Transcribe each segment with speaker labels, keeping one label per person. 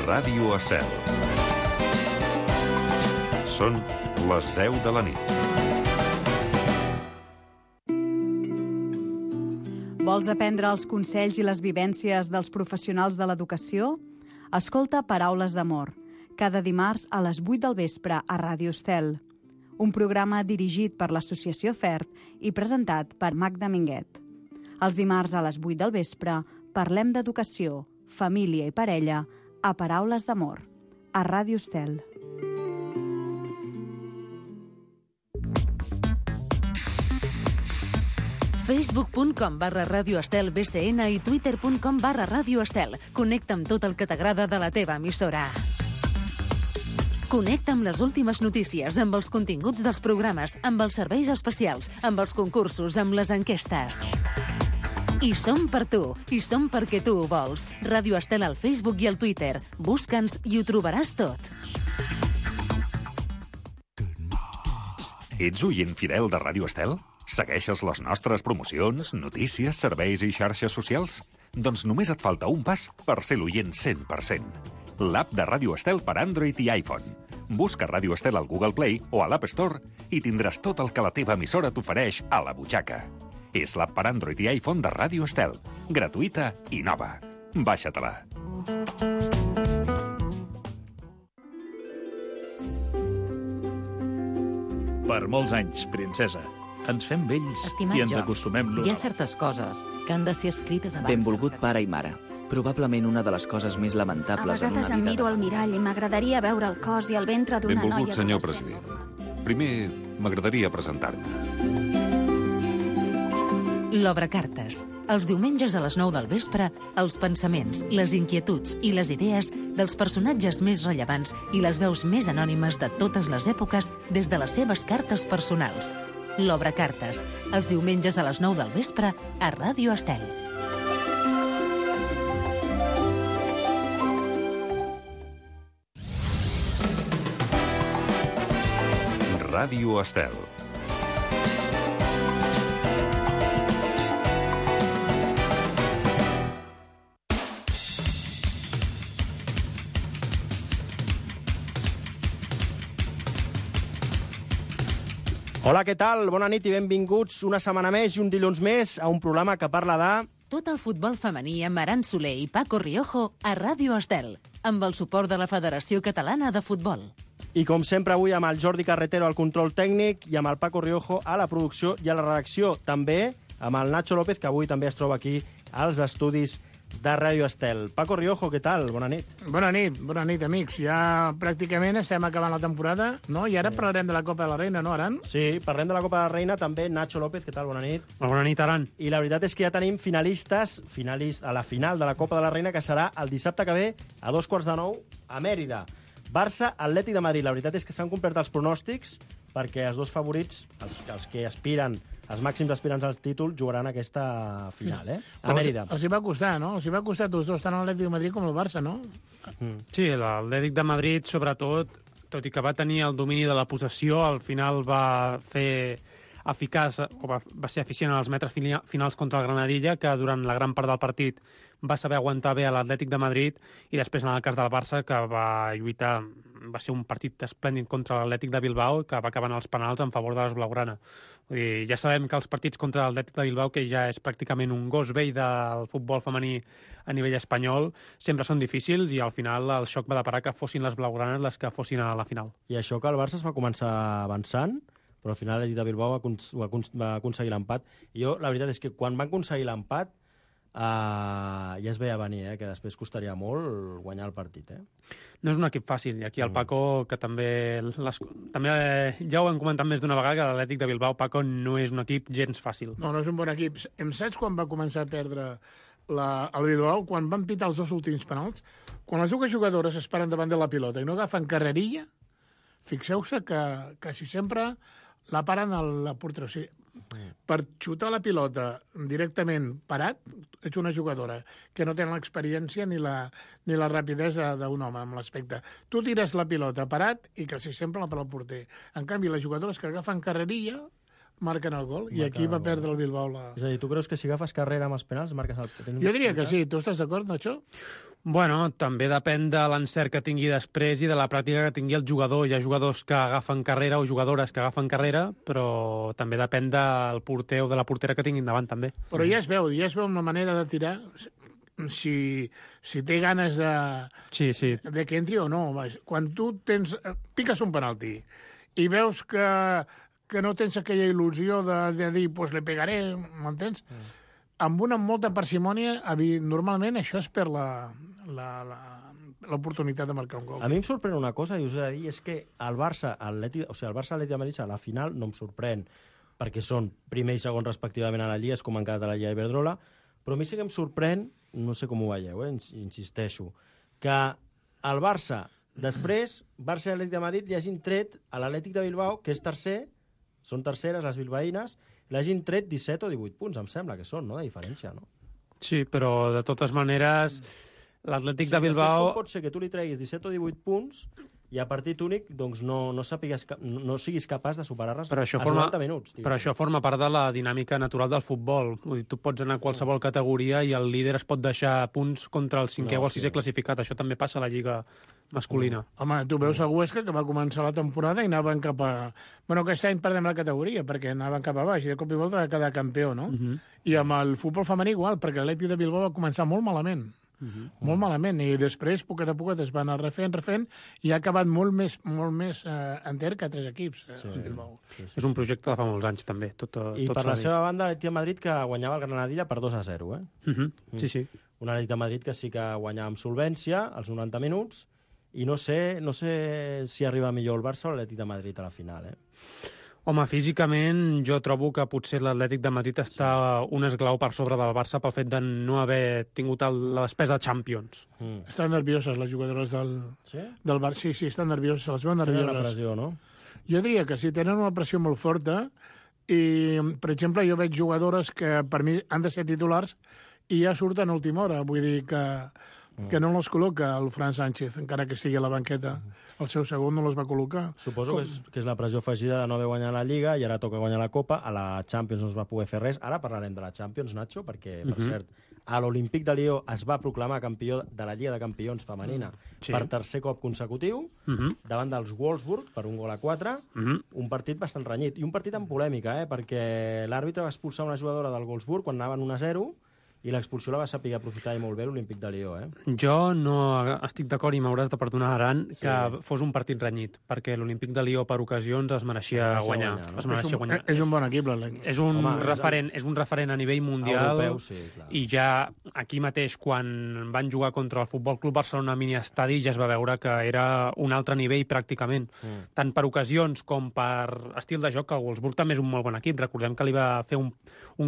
Speaker 1: Ràdio Estel. Són les 10 de la nit.
Speaker 2: Vols aprendre els consells i les vivències dels professionals de l'educació? Escolta Paraules d'Amor, cada dimarts a les 8 del vespre a Ràdio Estel. Un programa dirigit per l'Associació FERT i presentat per Magda Minguet. Els dimarts a les 8 del vespre parlem d'educació, família i parella a Paraules d'Amor, a Ràdio Estel.
Speaker 3: Facebook.com/Ràdio Estel BCN i Twitter.com/Ràdio Estel. Connecta amb tot el que t'agrada de la teva emissora. Connecta amb les últimes notícies, amb els continguts dels programes, amb els serveis especials, amb els concursos, amb les enquestes. I som per tu, i som perquè tu ho vols. Ràdio Estel al Facebook i al Twitter. Busca'ns i ho trobaràs tot.
Speaker 1: Ets oient fidel de Ràdio Estel? Segueixes les nostres promocions, notícies, serveis i xarxes socials? Doncs només et falta un pas per ser l'oient 100%. L'app de Ràdio Estel per Android i iPhone. Busca Ràdio Estel al Google Play o a l'App Store i tindràs tot el que la teva emissora t'ofereix a la butxaca. És l'app per Android i iPhone de Ràdio Estel. Gratuïta i nova. Baixa-te-la.
Speaker 4: Per molts anys, princesa. Ens fem vells
Speaker 5: Estimat
Speaker 4: i ens
Speaker 5: George,
Speaker 4: acostumem
Speaker 5: hi ha certes coses que han de ser escrites abans.
Speaker 6: Benvolgut pare i mare. Probablement una de les coses més
Speaker 7: A
Speaker 6: lamentables en una
Speaker 7: vegades em
Speaker 6: vida...
Speaker 7: miro al mirall i m'agradaria veure el cos i el ventre d'una noia...
Speaker 1: Benvolgut, senyor
Speaker 7: adolescent.
Speaker 1: president. Primer, m'agradaria presentar-me.
Speaker 3: L'Obrecartes. Els diumenges a les 9 del vespre, els pensaments, les inquietuds i les idees dels personatges més rellevants i les veus més anònimes de totes les èpoques des de les seves cartes personals. L'Obrecartes. Els diumenges a les 9 del vespre a Ràdio Estel.
Speaker 1: Ràdio Estel.
Speaker 8: Hola, què tal? Bona nit i benvinguts una setmana més i un dilluns més a un programa que parla de...
Speaker 3: Tot el futbol femení amb Aran Soler i Paco Riojo a Ràdio Estel, amb el suport de la Federació Catalana de Futbol.
Speaker 8: I com sempre avui amb el Jordi Carretero al control tècnic i amb el Paco Riojo a la producció i a la redacció. També amb el Nacho López, que avui també es troba aquí als estudis de Ràdio Estel. Paco Riojo, què tal? Bona nit.
Speaker 9: Bona nit, amics. Ja pràcticament estem acabant la temporada, no? I ara parlarem de la Copa de la Reina, no, Aran?
Speaker 8: Sí, parlem de la Copa de la Reina, també Nacho López, què tal? Bona nit.
Speaker 10: Bona nit, Aran.
Speaker 8: I la veritat és que ja tenim finalistes a la final de la Copa de la Reina, que serà el dissabte que ve a 8:45 a Mèrida. Barça, Atlètic de Madrid. La veritat és que s'han complert els pronòstics perquè els dos favorits, els que aspiren, els màxims aspirants al títol, jugaran aquesta final, a Mèrida.
Speaker 9: Els hi va costar, no? Els hi va costar tots dos, tant l'Atlètic de Madrid com el Barça, no?
Speaker 10: Sí, l'Atlètic de Madrid, sobretot, tot i que va tenir el domini de la possessió, al final va fer eficaç, o va ser eficient en els metres finals contra el Granadilla, que durant la gran part del partit va saber aguantar bé a l'Atlètic de Madrid, i després en el cas del Barça, que va lluitar, va ser un partit esplèndid contra l'Atlètic de Bilbao, que va acabar en els penals en favor de les blaugrana. Vull dir, ja sabem que els partits contra l'Atlètic de Bilbao, que ja és pràcticament un gos vell del futbol femení a nivell espanyol, sempre són difícils, i al final el xoc va deparar que fossin les blaugranes les que fossin a la final.
Speaker 8: I això que el Barça es va començar avançant, però al final l'Atlètic de Bilbao va aconseguir l'empat. I jo, la veritat és que quan van aconseguir l'empat, ja es veia venir, que després costaria molt guanyar el partit.
Speaker 10: No és un equip fàcil, i aquí el Paco, que també ja ho hem comentat més d'una vegada, que l'Atlètic de Bilbao, Paco, no és un equip gens fàcil.
Speaker 9: No és un bon equip. Em saps quan va començar a perdre el Bilbao? Quan van pitar els dos últims penals? Quan les dues jugadores es paren davant de la pilota i no agafen carrerilla, fixeu-se que quasi sempre la paren a la porteria. O sigui, per xutar la pilota directament parat, ets una jugadora que no té l'experiència ni la rapidesa d'un home amb l'aspecte. Tu tires la pilota parat i quasi sempre la per al porter. En canvi, les jugadores que agafen carrerilla marquen el gol, i aquí va perdre el Bilbao.
Speaker 8: És a dir, tu creus que si agafes carrera amb els penals marques el...
Speaker 9: Jo diria que sí. Tu estàs d'acord amb això?
Speaker 10: Bueno, també depèn de l'encert que tingui després i de la pràctica que tingui el jugador. Hi ha jugadors que agafen carrera o jugadores que agafen carrera, però també depèn del porter o de la portera que tinguin davant, també.
Speaker 9: Però ja es veu una manera de tirar si té ganes de que entri o no. Quan tu piques un penalti i veus que no tens aquella il·lusió de dir, pues le pegaré, m'entens? Amb molta parsimònia, normalment això és per l'oportunitat de marcar un gol.
Speaker 8: A mi em sorprèn una cosa, i us he de dir, és que el Barça Atlètic de Madrid a la final no em sorprèn, perquè són primer i segon respectivament a la Lliga, és com han quedat a la Lliga Iberdrola, però a mi sí que em sorprèn, no sé com ho veieu, insisteixo, que el Barça, després, Barça i Atlètic de Madrid li hagin tret a l'Atlètic de Bilbao, que és tercer, són terceres les bilbaïnes, l'hagin tret 17 o 18 punts, em sembla que són, no?, de diferència, no?
Speaker 10: Sí, però de totes maneres, l'Atlètic de Bilbao...
Speaker 8: Com pot ser que tu li treguis 17 o 18 punts i a partit únic doncs, no siguis capaç de superar-les als 90 minuts.
Speaker 10: Però això forma part de la dinàmica natural del futbol. Vull dir, tu pots anar a qualsevol categoria i el líder es pot deixar punts contra el cinquè o el sisè classificat. Això també passa a la Lliga masculina.
Speaker 9: Home, tu veus el Huesca, que va començar la temporada i anaven cap a... Bueno, aquest any perdem la categoria, perquè anaven cap a baix, i de cop i volta va quedar campió, no? I amb el futbol femení igual, perquè l'Atlètic de Bilbao va començar molt malament. Molt malament, i després, poquet a poquet, es van anar refent, i ha acabat molt més enter que 3 equips. Bilbao.
Speaker 10: És un projecte de fa molts anys, també.
Speaker 8: I per la seva banda, l'Atlètic de Madrid, que guanyava el Granadilla per 2-0,
Speaker 10: Sí.
Speaker 8: Un Atlètic de Madrid que sí que guanyava amb solvència, als 90 minuts, i no sé si arriba millor el Barça o l'Atlètic de Madrid a la final,
Speaker 10: Home, físicament jo trobo que potser l'Atlètic de Madrid està un esglau per sobre del Barça pel fet de no haver tingut la despesa de Champions.
Speaker 9: Estan nervioses les jugadores del Barça. Sí, estan nervioses, se les veuen nervioses.
Speaker 8: Tenen la pressió, no?
Speaker 9: Jo diria que sí, tenen una pressió molt forta i, per exemple, jo veig jugadores que per mi han de ser titulars i ja surten a última hora. Vull dir que no les col·loca el Fran Sánchez, encara que estigui a la banqueta. El seu segon no les va col·locar.
Speaker 8: Suposo que és la pressió afegida de no haver guanyat la Lliga i ara toca guanyar la Copa. A la Champions no es va poder fer res. Ara parlarem de la Champions, Nacho, perquè, per cert, a l'Olímpic de Lió es va proclamar campió de la Lliga de Campions femenina per tercer cop consecutiu, davant dels Wolfsburg, per 1-4, un partit bastant renyit. I un partit amb polèmica, perquè l'àrbitre va expulsar una jugadora del Wolfsburg quan anaven 1-0, i l'expulsió la va saber aprofitar i molt bé l'Olímpic de Lió,
Speaker 10: Jo no estic d'acord i m'hauràs de perdonar, Aran, que fos un partit renyit, perquè l'Olímpic de Lió per ocasions es mereixia guanyar.
Speaker 9: És un bon equip, l'Olímpic.
Speaker 10: És un referent a nivell mundial.
Speaker 8: Europeu, sí, clar.
Speaker 10: I ja aquí mateix, quan van jugar contra el Futbol Club Barcelona mini estadi, ja es va veure que era un altre nivell pràcticament. Tant per ocasions com per estil de joc, que el Wolfsburg també és un molt bon equip. Recordem que li va fer un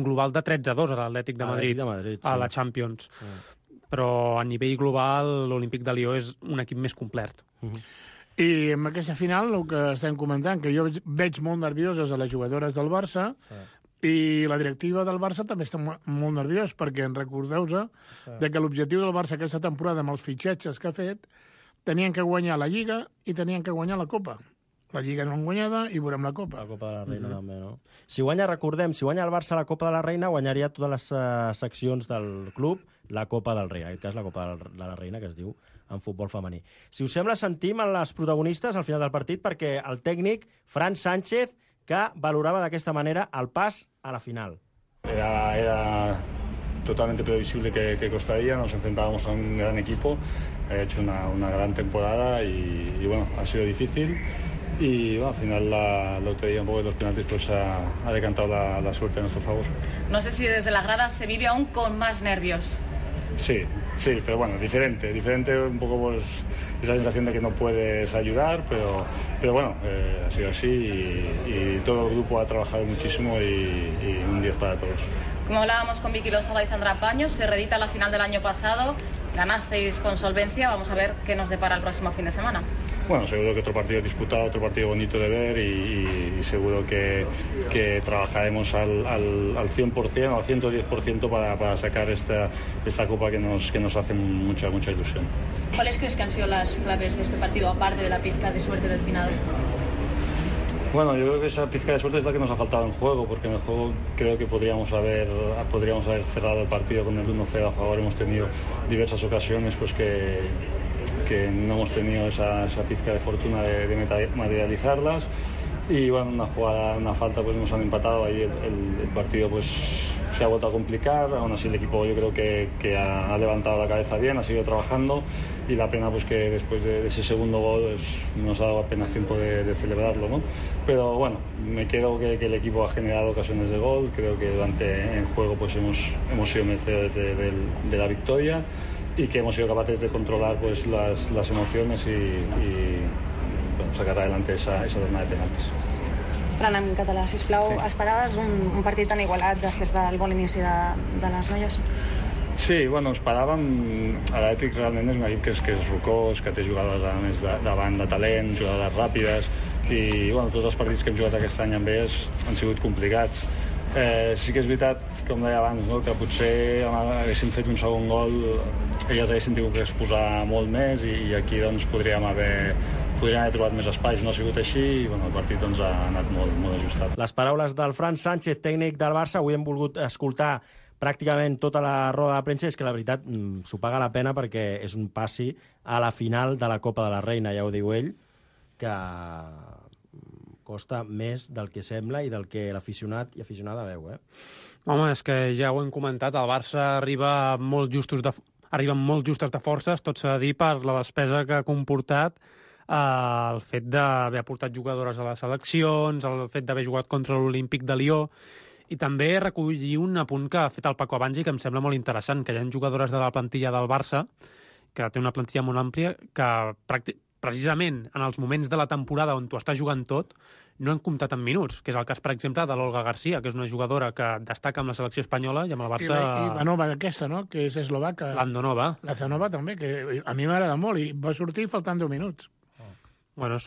Speaker 10: global de 13-2 a l'Atlètic de Madrid. A la Champions. Però a nivell global l'Olímpic de Lió és un equip més complet.
Speaker 9: I amb aquesta final, el que estem comentant, que jo veig molt nervioses a les jugadores del Barça i la directiva del Barça també està molt nerviós, perquè recordeu-vos de que l'objectiu del Barça aquesta temporada amb els fitxatges que ha fet tenien que guanyar la Lliga i tenien que guanyar la Copa. La Lliga no han guanyada i veurem la Copa.
Speaker 8: La Copa de la Reina també, no? Si guanya el Barça la Copa de la Reina, guanyaria totes les seccions del club la Copa del Rei, en aquest cas la Copa de la Reina, que es diu en futbol femení. Si us sembla, sentim les protagonistes al final del partit, perquè el tècnic Fran Sánchez, que valorava d'aquesta manera el pas a la final.
Speaker 11: Era totalmente previsible que costaría, nos enfrentábamos a un gran equipo, ha hecho una gran temporada y bueno, ha sido difícil. Y bueno, al final la lotería un poco de los penaltis pues ha decantado la suerte a nuestro favor.
Speaker 12: No sé si desde la grada se vive aún con más nervios.
Speaker 11: Sí, pero bueno, diferente un poco pues esa sensación de que no puedes ayudar, pero bueno, ha sido así y todo el grupo ha trabajado muchísimo y un 10 para todos.
Speaker 12: Como hablábamos con Vicky Lozada y Sandra Paños, se reedita la final del año pasado, ganasteis con solvencia, vamos a ver qué nos depara el próximo fin de semana.
Speaker 11: Bueno, seguro que otro partido disputado, otro partido bonito de ver y seguro que trabajaremos al 100% o al 110% para sacar esta Copa que nos hace mucha ilusión.
Speaker 12: ¿Cuáles crees que han sido las claves de este partido, aparte de la pizca de suerte del final?
Speaker 11: Bueno, yo creo que esa pizca de suerte es la que nos ha faltado en juego, porque en el juego creo que podríamos haber cerrado el partido con el 1-0 a favor. Hemos tenido diversas ocasiones pues que no hemos tenido esa pizca de fortuna de materializarlas. Y bueno, una falta, pues nos han empatado. Ahí el partido pues se ha vuelto a complicar. Aún así el equipo yo creo que ha levantado la cabeza bien, ha seguido trabajando, y la pena pues que después de ese segundo gol pues, nos ha dado apenas tiempo de celebrarlo, ¿no? Pero bueno, me quedo que el equipo ha generado ocasiones de gol. Creo que durante el juego pues hemos sido merecedores de la victoria, y que hemos sido capaces de controlar pues las emociones y bueno, sacar adelante esa tornada de penaltis.
Speaker 13: Fran, en català, sisplau, sí. Esperaves un partit tan igualat després del bon inici de les noies?
Speaker 11: Sí, bueno, esperàvem... L'Atlètic realment és un equip que és rocós, que té jugadores a més davant de talent, jugadores ràpides, i bueno, tots els partits que hem jugat aquest any amb ells han sigut complicats. Sí que és veritat, com deia abans, no? Que potser haguéssim fet un segon gol, elles haguessin tingut que exposar molt més, i aquí doncs podríem haver trobat més espais. No ha sigut així, i bueno, el partit doncs, ha anat molt ajustat.
Speaker 8: Les paraules del Fran Sánchez, tècnic del Barça. Avui hem volgut escoltar pràcticament tota la roda de premsa. És que la veritat s'ho paga la pena, perquè és un passi a la final de la Copa de la Reina, ja ho diu ell, que costa més del que sembla i del que l'aficionat i aficionada veu,
Speaker 10: Home, és que ja ho hem comentat, el Barça arriba molt justes de forces, tot s'ha de dir, per la despesa que ha comportat el fet d'haver portat jugadores a les seleccions, el fet d'haver jugat contra l'Olímpic de Lió, i també recollir un apunt que ha fet el Paco abans i que em sembla molt interessant, que hi ha jugadores de la plantilla del Barça, que té una plantilla molt àmplia, que precisament en els moments de la temporada on tu estàs jugant tot, no han comptat en minuts, que és el cas, per exemple, de l'Olga García, que és una jugadora que destaca amb la selecció espanyola i amb el Barça...
Speaker 9: I Ivanova aquesta, no?, que és eslovaca.
Speaker 10: L'Andonova.
Speaker 9: L'Andonova també, que a mi m'agrada molt, i va sortir faltant 10 minuts.
Speaker 10: Bueno,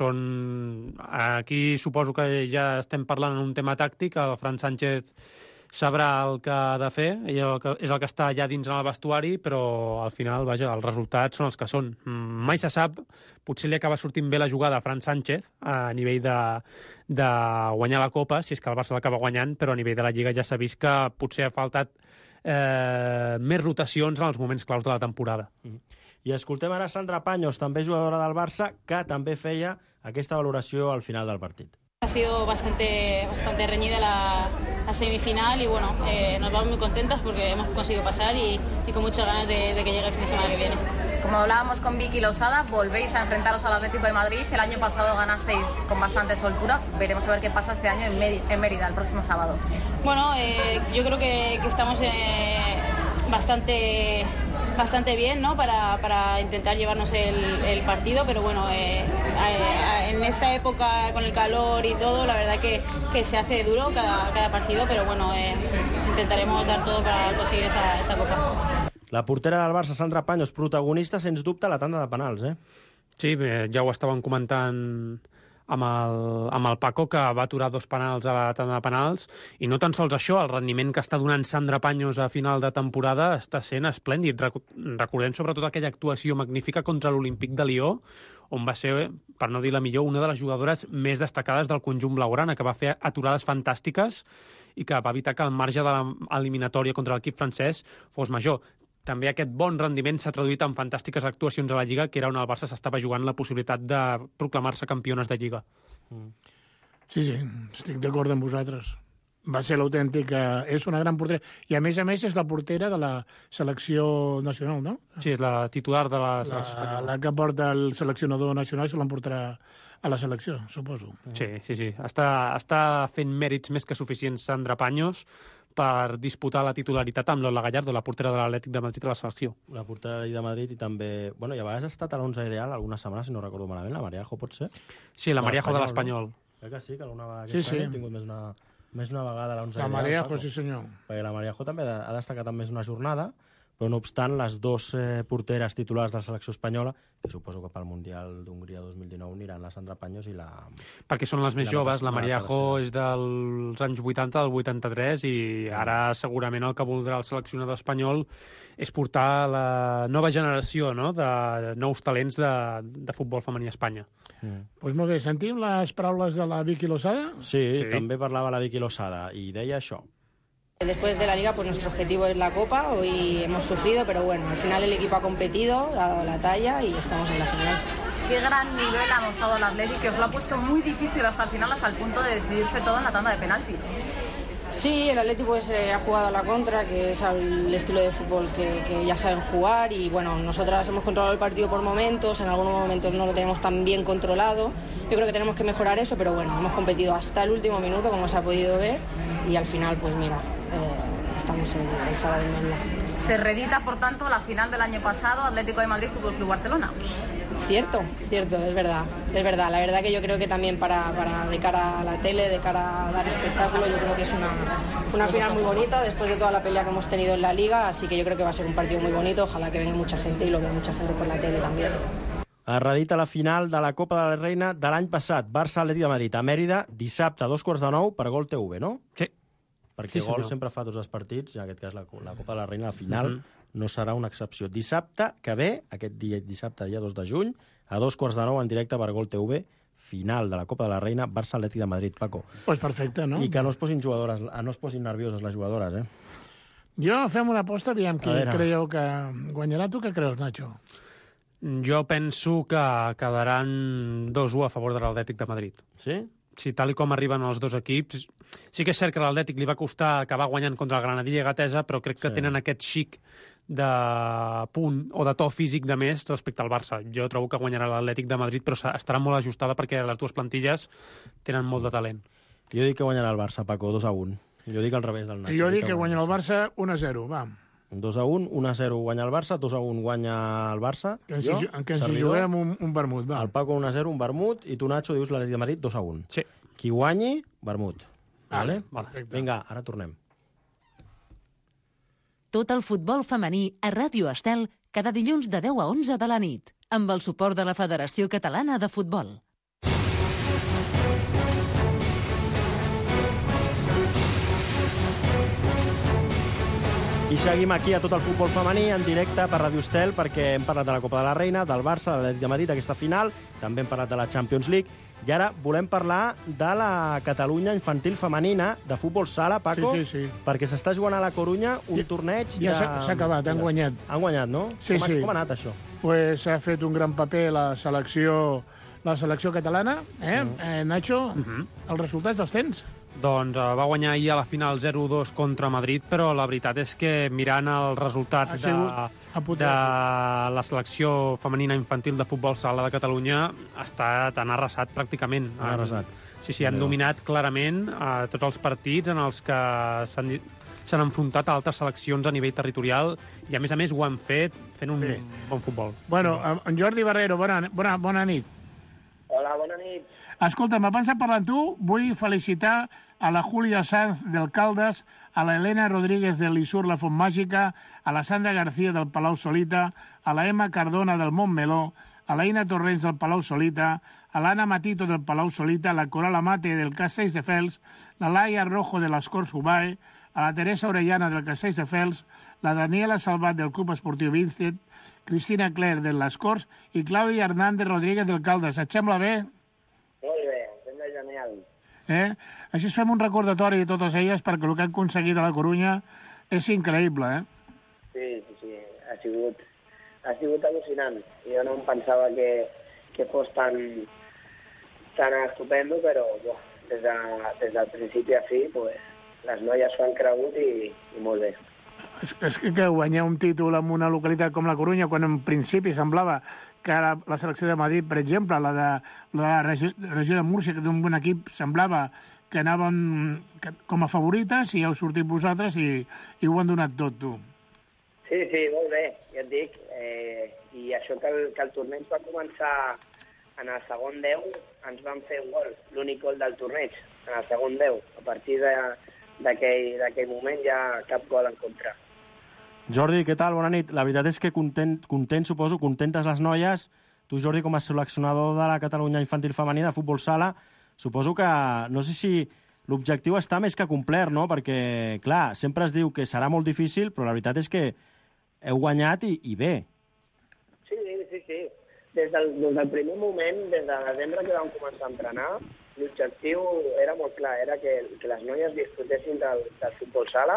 Speaker 10: aquí suposo que ja estem parlant en un tema tàctic. El Fran Sánchez sabrà el que ha de fer, ell és el que està allà dins en el vestuari, però al final, vaja, els resultats són els que són. Mai se sap, potser li acaba sortint bé la jugada a Fran Sánchez a nivell de guanyar la Copa, si és que el Barça l'acaba guanyant, però a nivell de la Lliga ja s'ha vist que potser ha faltat més rotacions en els moments claus de la temporada.
Speaker 8: I escoltem ara Sandra Paños, també jugadora del Barça, que també feia aquesta valoració al final del partit.
Speaker 12: Ha sido bastante reñida la semifinal y bueno, nos vamos muy contentas porque hemos conseguido pasar y con muchas ganas de que llegue el fin de semana que viene.
Speaker 7: Como hablábamos con Vicky Losada, volvéis a enfrentaros al Atlético de Madrid. El año pasado ganasteis con bastante soltura. Veremos a ver qué pasa este año en Mérida, el próximo sábado.
Speaker 12: Bueno, yo creo que estamos bastante bien, ¿no?, para intentar llevarnos el partido, pero bueno, en esta época con el calor y todo, la verdad que se hace duro cada partido, pero bueno, intentaremos dar todo para conseguir esa copa.
Speaker 8: La portera del Barça, Sandra Paños, protagonista, sens dubte, a la tanda de penals,
Speaker 10: Sí, ja ho estàvem comentant amb el Paco, que va aturar 2 penals a la tanda de penals, i no tan sols això, el rendiment que està donant Sandra Paños a final de temporada està sent esplèndid. Recordem sobretot aquella actuació magnífica contra l'Olímpic de Lió, on va ser, per no dir la millor, una de les jugadores més destacades del conjunt blaugrana, que va fer aturades fantàstiques i que va evitar que el marge de l'eliminatòria contra l'equip francès fos major. També aquest bon rendiment s'ha traduït en fantàstiques actuacions a la Lliga, que era on el Barça s'estava jugant la possibilitat de proclamar-se campiones de Lliga.
Speaker 9: Sí, estic d'acord amb vosaltres. Va ser l'autèntica... És una gran portera. I a més és la portera de la selecció nacional, no?
Speaker 10: Sí, és la titular de la selecció espanyola.
Speaker 9: La que porta el seleccionador nacional se l'emportarà a la selecció, suposo.
Speaker 10: Sí. Està fent mèrits més que suficients Sandra Paños per disputar la titularitat amb Lola Gallardo, la portera de l'Atlètic de Madrid a la selecció.
Speaker 8: La portera de Madrid, i també... Bueno, i a vegades ha estat a l'11 ideal algunes setmanes, si no recordo malament, la Mariajo, pot ser?
Speaker 10: Sí, la Mariajo de l'Espanyol.
Speaker 8: Crec que sí, que alguna vegada ha tingut més una vegada a l'11 ideal.
Speaker 9: La Mariajo, sí senyor.
Speaker 8: Perquè la Mariajo també ha destacat en més una jornada, Però, no obstant, les dues porteres titulars de la selecció espanyola, que suposo que pel Mundial d'Hongria 2019 aniran la Sandra Paños i la...
Speaker 10: Perquè són les més joves, la Mariajo és dels anys 80, del 83, i ara segurament el que voldrà el seleccionador espanyol és portar la nova generació, no?, de nous talents de futbol femení a Espanya.
Speaker 9: Pues molt bé, sentim les paraules de la Vicky Losada?
Speaker 8: Sí, també parlava la Vicky Losada i deia això.
Speaker 12: Después de la Liga, pues nuestro objetivo es la Copa. Hoy hemos sufrido, pero bueno, al final el equipo ha competido, ha dado la talla y estamos en la final.
Speaker 7: Qué gran nivel ha mostrado el Athletic, que os lo ha puesto muy difícil hasta el final, hasta el punto de decidirse todo en la tanda de penaltis.
Speaker 12: Sí, el Athletic pues, ha jugado a la contra, que es el estilo de fútbol que ya saben jugar, y bueno, nosotras hemos controlado el partido por momentos, en algunos momentos no lo tenemos tan bien controlado. Yo creo que tenemos que mejorar eso, pero bueno, hemos competido hasta el último minuto, como se ha podido ver, y al final, pues mira, estamos el sábado en Mérida.
Speaker 7: Se reedita, por tanto, la final del año pasado, Atlético de Madrid, Fútbol Club Barcelona.
Speaker 12: Cierto, es verdad. La verdad que yo creo que también de cara a la tele, de cara a dar espectáculo, yo creo que es una final muy bonita después de toda la pelea que hemos tenido en la Liga, así que yo creo que va a ser un partido muy bonito, ojalá que venga mucha gente y lo vea mucha gente por la tele también.
Speaker 8: Es reedita la final de la Copa de la Reina de l'any passat, Barça-Atlètic de Madrid, a Mèrida, dissabte a 8:45 per Gol TV, no?
Speaker 10: Sí.
Speaker 8: Perquè Gol sempre fa tots els partits, i en aquest cas la Copa de la Reina, la final, no serà una excepció. Dissabte que ve, aquest dissabte, dia 2 de juny, a 8:45 en directe per Gol TV, final de la Copa de la Reina, Barça-Atlètic de Madrid, Paco.
Speaker 9: Pues perfecte, no?
Speaker 8: I que no es posin nervioses les jugadores,
Speaker 9: Jo fem una aposta, aviam qui creieu que guanyarà. Tu què creus, Nacho?
Speaker 10: Jo penso que quedaran 2-1 a favor de l'Atlètic de Madrid.
Speaker 8: Sí?
Speaker 10: Sí, tal com arriben els dos equips. Sí que és cert que l'Atlètic li va costar acabar guanyant contra el Granadilla i Gatesa, però crec que tenen aquest xic de punt o de to físic de més respecte al Barça. Jo trobo que guanyarà l'Atlètic de Madrid, però estarà molt ajustada perquè les dues plantilles tenen molt de talent.
Speaker 8: Jo dic que guanyarà el Barça, Paco, 2-1. Jo dic al revés del Nacho.
Speaker 9: Jo dic que guanyarà el Barça 1-0, va.
Speaker 8: 2-1, 1-0 guanya el Barça, 2-1 guanya el Barça.
Speaker 9: Que ens hi juguem un vermut, va.
Speaker 8: El Paco 1-0, un vermut, i tu, Nacho, dius l'Atlètic de Madrid 2-1.
Speaker 10: Sí.
Speaker 8: Qui guanyi, vermut.
Speaker 10: Vale?
Speaker 8: Vinga, ara tornem.
Speaker 3: Tot el futbol femení a Ràdio Estel cada dilluns de 10 a 11 de la nit, amb el suport de la Federació Catalana de Futbol.
Speaker 8: I seguim aquí a tot el futbol femení en directe per Ràdio Estel, perquè hem parlat de la Copa de la Reina, del Barça, de l'Atlètic de Madrid, aquesta final, també hem parlat de la Champions League, i ara volem parlar de la Catalunya infantil femenina de futbol sala, Paco,
Speaker 9: sí.
Speaker 8: perquè s'està jugant a la Corunya un torneig de...
Speaker 9: Ja s'ha acabat, han guanyat.
Speaker 8: Han guanyat, no?
Speaker 9: Sí.
Speaker 8: Com ha anat això?
Speaker 9: Pues ha fet un gran paper la selecció catalana, Nacho, els resultats els tens?
Speaker 10: Doncs va guanyar ahir a la final 0-2 contra Madrid, però la veritat és que mirant els resultats de la selecció femenina infantil de futbol sala de Catalunya ha estat arrasat pràcticament. Sí, han dominat clarament tots els partits en els que s'han enfrontat a altres seleccions a nivell territorial i, a més, ho han fet fent un bon futbol.
Speaker 9: Bueno, en Jordi Barrero, bona nit.
Speaker 14: Hola, bona nit.
Speaker 9: Escolta, abans de parlar amb tu, vull felicitar a la Júlia Sanz del Caldes, a la Elena Rodríguez de l'Isur La Font Màgica, a la Sandra García del Palau Solita, a la Emma Cardona del Montmeló, a la Ina Torrents del Palau Solita, a l'Anna Matito del Palau Solita, a la Coral Amate del Castelldefels, la Laia Rojo de l'Escor Subae, a la Teresa Orellana del Castelldefels, la Daniela Salvat del Club Esportiu Vincent, Cristina Cler de les Corts i Clàudia Hernández Rodríguez del Caldes. Et sembla bé?
Speaker 14: Molt bé, sembla genial.
Speaker 9: Així fem un recordatori de totes elles perquè el que han aconseguit a la Corunya és increïble,
Speaker 14: Sí, ha sigut al·lucinant. Jo no em pensava que fos tan estupendo, però des del principi a fi les noies s'ho han cregut i molt bé.
Speaker 9: És que guanyar un títol en una localitat com la Corunya, quan en principi semblava que la selecció de Madrid, per exemple, la de la regió de Múrcia, que té un bon equip, semblava que anaven com a favorites i heu sortit vosaltres i ho han donat tot, tu.
Speaker 14: Sí, molt bé, ja et dic. I això que el torneig va començar en el segon 10, ens van fer un gol, l'únic gol del torneig, en el segon 10. A partir d'aquell moment ja cap gol en contra.
Speaker 8: Jordi, què tal? Bona nit. La veritat és que content, suposo, contentes les noies. Tu, Jordi, com a seleccionador de la Catalunya Infantil Femení de Futbol Sala, suposo que, no sé si l'objectiu està més que complert, no? Perquè, clar, sempre es diu que serà molt difícil, però la veritat és que heu guanyat i bé.
Speaker 14: Sí. Des del primer moment, des de desembre que vam començar a entrenar, l'objectiu era molt clar, era que les noies disfrutessin del futbol sala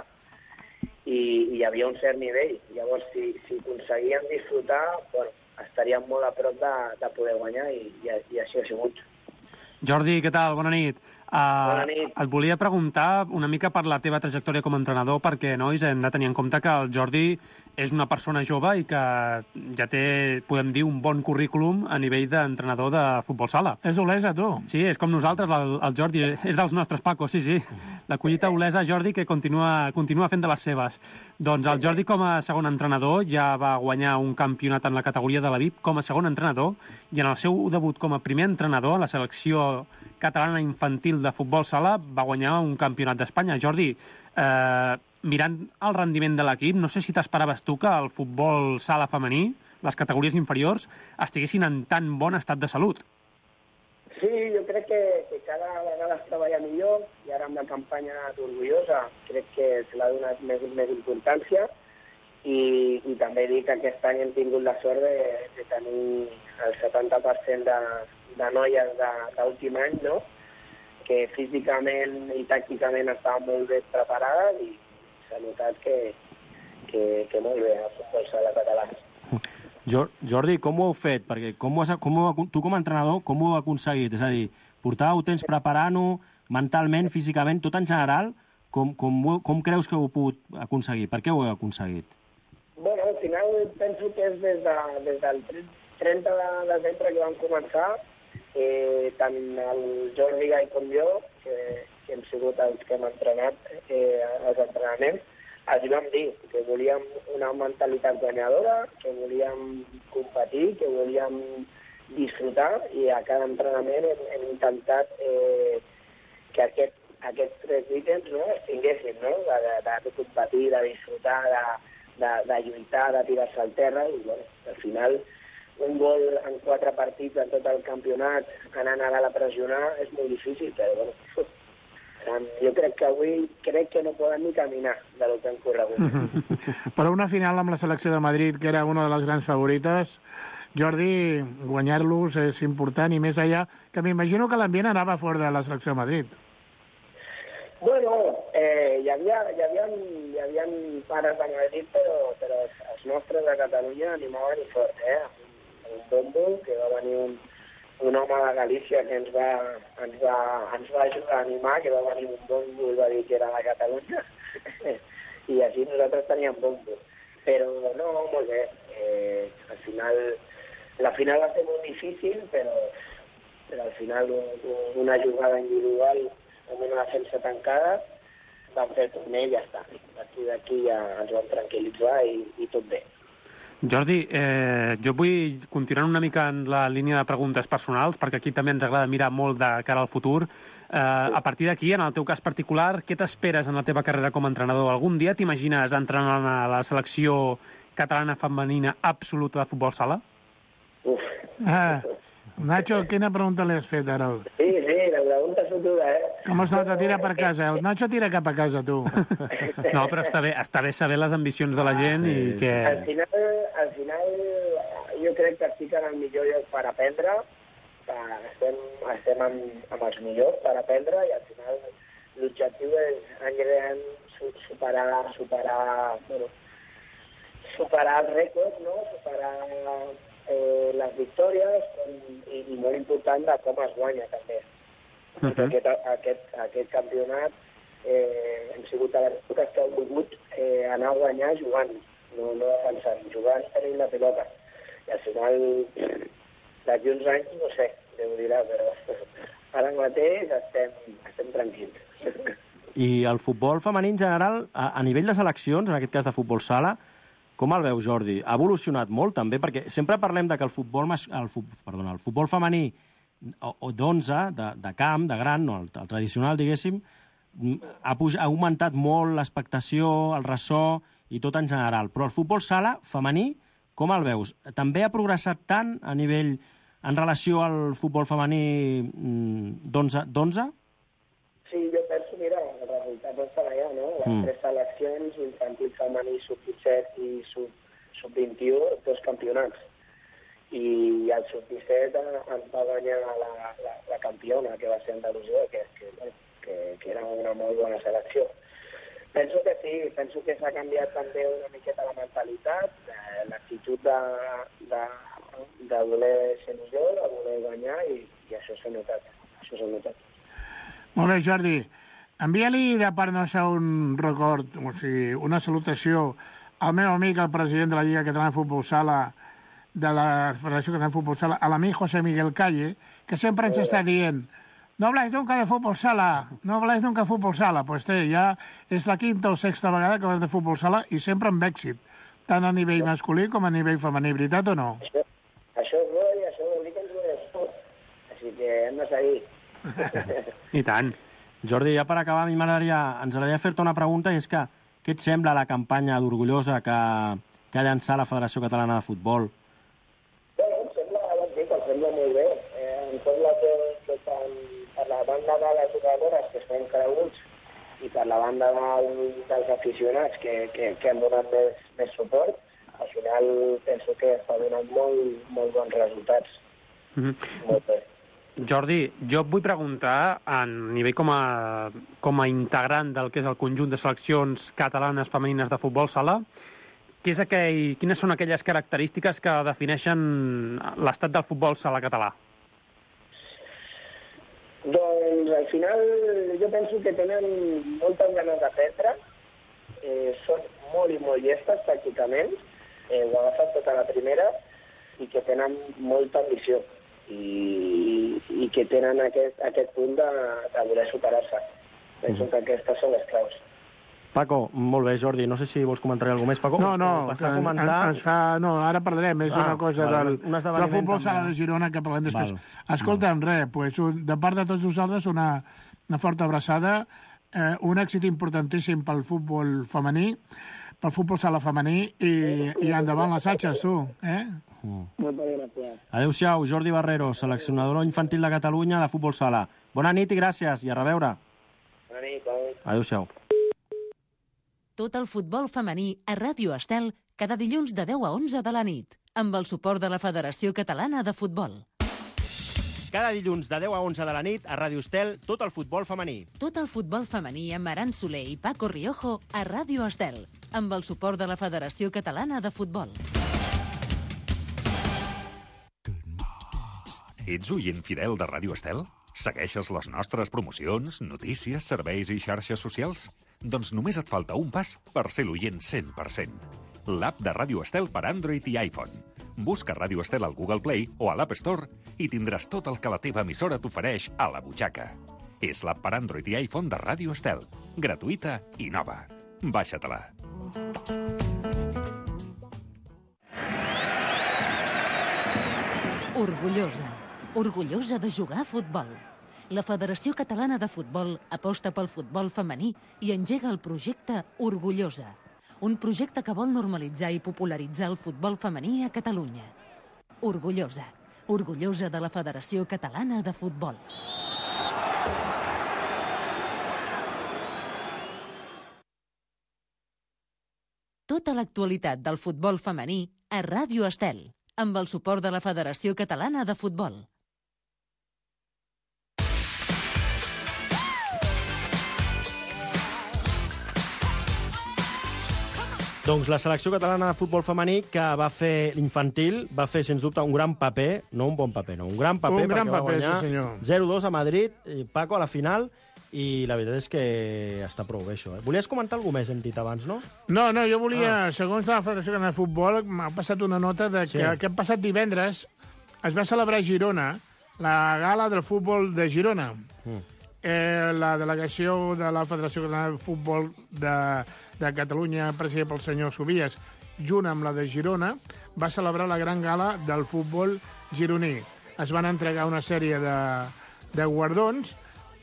Speaker 14: i hi havia un cert nivell. Llavors, si aconseguíem disfrutar, bueno, estaríem molt a prop de poder guanyar i així ha sigut.
Speaker 10: Jordi, què tal? Bona nit.
Speaker 14: Bona nit.
Speaker 10: Et volia preguntar una mica per la teva trajectòria com a entrenador, perquè, nois, hem de tenir en compte que el Jordi és una persona jove i que ja té, podem dir, un bon currículum a nivell d'entrenador de futbol sala.
Speaker 9: És Olesa, tu?
Speaker 10: Sí, és com nosaltres, el Jordi, és dels nostres, Paco, sí. La collita Olesa, Jordi, que continua fent de les seves. Doncs el Jordi, com a segon entrenador, ja va guanyar un campionat en la categoria de la VIP com a segon entrenador, i en el seu debut com a primer entrenador a la selecció catalana infantil de futbol sala va guanyar un campionat d'Espanya. Jordi, mirant el rendiment de l'equip, no sé si t'esperaves tu que el futbol sala femení, les categories inferiors, estiguessin en tan bon estat de salut.
Speaker 14: Sí, jo crec que cada vegada es treballa millor i ara amb la campanya d'Orgullosa crec que se l'ha donat més importància i també dic que aquest any hem tingut la sort de tenir el 70% de noies d'últim any, no? Que físicament i tàcticament estaven molt ben preparades i s'ha notat que molt bé el futbol sala català.
Speaker 8: Jordi, com ho heu fet? Perquè tu com a entrenador, com ho heu aconseguit? És a dir, portàveu temps preparant-ho mentalment, físicament, tot en general? Com creus que ho heu pogut aconseguir? Per què ho heu aconseguit?
Speaker 14: Bueno, al final penso que és des del 30 de desembre que vam començar, tant el Jordi Gai com jo, que hem sigut els que hem entrenat els entrenaments, els vam dir que volíem una mentalitat guanyadora, que volíem competir, que volíem disfrutar i a cada entrenament hem intentat que aquests tres ítems no, es tinguessin, no? De competir, de disfrutar, de lluitar, de tirar-se al terra i bueno, al final un gol en 4 partits en tot el campionat anant a la pressionar és molt difícil, però bueno, jo crec que avui no poden ni caminar de lo que han corregut.
Speaker 9: Però una final amb la selecció de Madrid, que era una de les grans favorites, Jordi, guanyar-los és important i més allà, que m'imagino que l'ambient anava fort de la selecció de Madrid.
Speaker 14: Bueno, hi havia pares de Madrid, però els nostres de Catalunya animaven i fort, un bombo, que va venir un home de Galícia que ens va ajudar a animar, que va venir un bombo i va dir que era de Catalunya, i així nosaltres teníem bombo. Però no, molt bé. Al final, la final va ser molt difícil, però al final una jugada individual amb una defensa tancada vam fer el torneig i ja està. D'aquí ja ens vam tranquil·litzar i tot bé.
Speaker 10: Jordi, jo vull continuar una mica en la línia de preguntes personals, perquè aquí també ens agrada mirar molt de cara al futur. A partir d'aquí, en el teu cas particular, què t'esperes en la teva carrera com a entrenador? Algun dia t'imagines entrenant a la selecció catalana femenina absoluta de futbol sala?
Speaker 9: Nacho, quina pregunta li has fet ara?
Speaker 14: Sí, la pregunta és dura,
Speaker 9: Com es nota, tira per casa. El Nacho tira cap a casa, tu.
Speaker 10: No, però està bé saber les ambicions de la gent i que...
Speaker 14: Al final, jo crec que estic en el millor lloc per aprendre. Estem amb els millors per aprendre i al final l'objectiu és any rere any superar els rècords, no? Superar les victòries i molt important de com es guanya també. Aquest campionat hem sigut a les èpoques que hem volgut anar a guanyar jugant, no defensant, jugant tenint la pilota. I al final, d'aquí uns anys, no sé, Déu dirà, però ara mateix estem tranquils.
Speaker 8: I el futbol femení en general, a nivell de seleccions, en aquest cas de futbol sala, com el veu, Jordi? Ha evolucionat molt, també, perquè sempre parlem de que el futbol femení d'11, de camp, de gran, no, el tradicional, diguéssim, ha augmentat molt l'expectació, el ressò, i tot en general. Però el futbol sala femení, com el veus? També ha progressat tant a nivell en relació al futbol femení d'11?
Speaker 14: Sí, jo penso, mira, els resultats estan allà, no? Les 3 seleccions, infantil femení, sub-17 i sub-21, 2 campionats. I el sub-17 ens va guanyar la campiona, que va ser Andalusia, que era una molt bona selecció. Penso que sí, penso que s'ha canviat també una miqueta la mentalitat, l'actitud de voler ser millor, de voler guanyar, i això s'ha notat.
Speaker 9: Molt bé, Jordi. Envia-li de part nostra un record, o sigui, una salutació al meu amic, el president de la Lliga Catalana de Futbol Sala, de la Federació Catalana de Futbol Sala, a l'amic José Miguel Calle, que sempre ens està dient: no habláis nunca de fútbol sala, no habláis nunca de fútbol sala. Pues ja és la 5ª o 6ª vegada que parlem de futbol sala i sempre amb èxit, tant a nivell masculí com a nivell femení, veritat o no?
Speaker 14: Això és bo i això vol dir que ens ho és tot. Així que hem de seguir.
Speaker 8: I tant. Jordi, ja per acabar, a mi ens agradaria fer-te una pregunta, i és que què et sembla la campanya d'Orgullosa que ha llançat la Federació Catalana de Futbol?
Speaker 14: Bueno, em sembla molt bé. Em sembla que per la banda de les jugadores, que estan creguts, i per la banda dels aficionats, que han donat més suport, al final penso que està donant molt bons resultats. Molt bé.
Speaker 10: Jordi, jo et vull preguntar, a nivell com a integrant del que és el conjunt de seleccions catalanes femenines de futbol sala, quines són aquelles característiques que defineixen l'estat del futbol sala català?
Speaker 14: Doncs al final jo penso que tenen moltes ganes d'aprendre, són molt i molt llestes pràcticament, ho agafen tota la primera, i que tenen molta ambició. I que tenen aquest punt de voler superar-se. Penso que aquestes són les claus.
Speaker 8: Paco, molt bé, Jordi. No sé si vols comentar alguna més, Paco.
Speaker 9: No, ara parlarem. És una cosa del futbol sala de Girona que parlem després. Escolta'm, de part de tots nosaltres, una forta abraçada, un èxit importantíssim pel futbol femení, pel futbol sala femení, i endavant les atxes, tu,
Speaker 8: Adéu-siau, Jordi Barrero, seleccionador infantil de Catalunya de futbol sala. Bona nit i gràcies, i a reveure.
Speaker 14: Bona nit.
Speaker 8: Adéu-siau.
Speaker 3: Tot el futbol femení a Ràdio Estel cada dilluns de 10 a 11 de la nit, amb el suport de la Federació Catalana de Futbol.
Speaker 8: Cada dilluns de 10 a 11 de la nit a Ràdio Estel, tot el futbol femení.
Speaker 3: Tot el futbol femení amb Aran Soler i Paco Riojo a Ràdio Estel, amb el suport de la Federació Catalana de Futbol.
Speaker 1: Ets oient fidel de Ràdio Estel? Segueixes les nostres promocions, notícies, serveis i xarxes socials? Doncs només et falta un pas per ser l'oient 100%. L'app de Ràdio Estel per Android i iPhone. Busca Ràdio Estel al Google Play o a l'App Store i tindràs tot el que la teva emissora t'ofereix a la butxaca. És l'app per Android i iPhone de Ràdio Estel. Gratuïta i nova. Baixa-te-la.
Speaker 3: Orgullosa de jugar a futbol. La Federació Catalana de Futbol aposta pel futbol femení i engega el projecte Orgullosa, un projecte que vol normalitzar i popularitzar el futbol femení a Catalunya. Orgullosa de la Federació Catalana de Futbol. Tota l'actualitat del futbol femení a Ràdio Estel, amb el suport de la Federació Catalana de Futbol.
Speaker 8: Doncs la selecció catalana de futbol femení, que va fer l'infantil, va fer, sens dubte, un gran paper, no un bon paper, no, un gran paper,
Speaker 9: perquè va guanyar
Speaker 8: sí, 0-2 a Madrid, Paco, a la final, i la veritat és que està prou bé, això. Volies comentar alguna més, hem dit abans, no?
Speaker 9: No, jo volia, segons la Federació Catalana de Futbol, m'ha passat una nota de que aquest passat divendres es va celebrar a Girona la gala del futbol de Girona. La delegació de la Federació Catalana de Futbol de Catalunya, presidida pel senyor Subies, junt amb la de Girona, va celebrar la gran gala del futbol gironí. Es van entregar una sèrie de guardons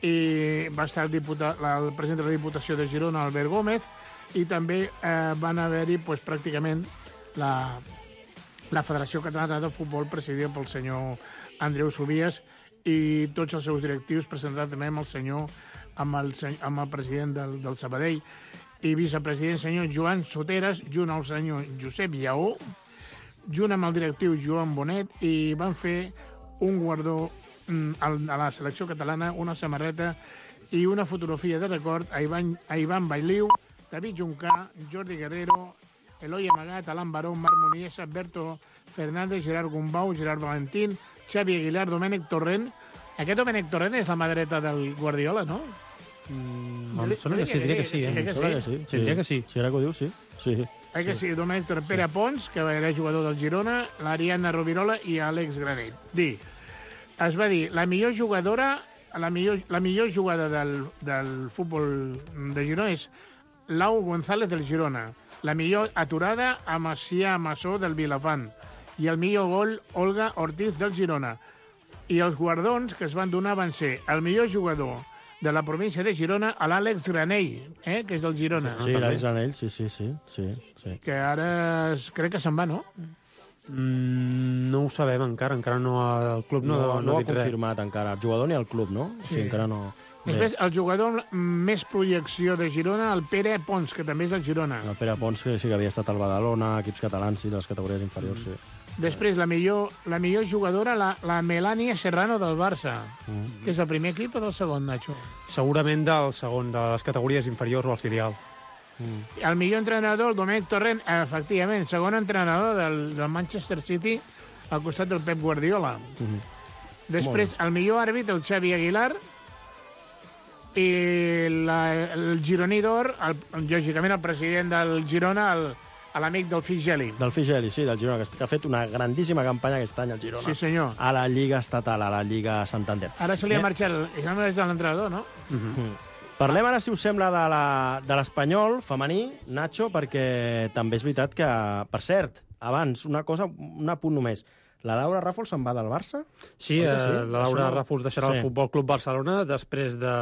Speaker 9: i va estar el president de la Diputació de Girona, Albert Gómez, i també van haver-hi pràcticament la Federació Catalana de Futbol presidida pel senyor Andreu Subies i tots els seus directius, presentat també amb el president del Sabadell i vicepresident senyor Joan Soteres, junt al senyor Josep Lleó, junt amb el directiu Joan Bonet, i van fer un guardó a la selecció catalana, una samarreta i una fotografia de record a Ivan Bailiu, David Juncà, Jordi Guerrero, Eloi Amagat, Alan Baró, Marc Muniesa, Berto Fernández, Gerard Gumbau, Gerard Valentín, Xavi Aguilar, Domènec Torrent. Aquest Domènec Torrent és la mà dreta del Guardiola, no?
Speaker 10: Em sona que sí, diria que sí. Diria que sí.
Speaker 8: Si ara que ho dius, sí.
Speaker 9: Que sí, Domènec Torrent, Pere Pons, que era jugador del Girona, l'Ariadna Rovirola i Àlex Granell. Es va dir, la millor jugadora, la millor jugada del futbol de Girona és Lau González del Girona, la millor aturada a Macià Massó del Vilafant i el millor gol Olga Ortiz del Girona. I els guardons que es van donar van ser el millor jugador de la província de Girona a l'Àlex Granell, que és del Girona.
Speaker 8: Sí, l'Àlex Granell, sí.
Speaker 9: Que ara crec que se'n va, no?
Speaker 10: No ho sabem encara no el club no
Speaker 8: ha confirmat encara el jugador ni el club, no? Sí, encara no.
Speaker 9: Després, el jugador més projecció de Girona, el Pere Pons, que també és del Girona.
Speaker 8: El Pere Pons, que sí que havia estat al Badalona, equips catalans, sí, de les categories inferiors, sí.
Speaker 9: Després, la millor jugadora, la Melania Serrano del Barça, que és el primer equip o del segon, Nacho?
Speaker 10: Segurament del segon, de les categories inferiors o el filial.
Speaker 9: El millor entrenador, el Domènec Torrent, efectivament, segon entrenador del Manchester City al costat del Pep Guardiola. Després, el millor àrbitre, el Xavi Aguilar, i el gironí d'or, lògicament el president del Girona, l'amic del Figeli.
Speaker 8: Del Figeli, sí, del Girona, que ha fet una grandíssima campanya aquest any al Girona.
Speaker 9: Sí, senyor.
Speaker 8: A la Lliga Estatal, a la Lliga Santander.
Speaker 9: Ara se li ha marxat, ja no és de l'entrenador, no?
Speaker 8: Parlem ara, si us sembla, de l'Espanyol femení, Nacho, perquè també és veritat que, per cert, abans, un apunt només, la Laura Ràfols se'n va del Barça?
Speaker 10: Sí, la Laura Ràfols deixarà el Futbol Club Barcelona després de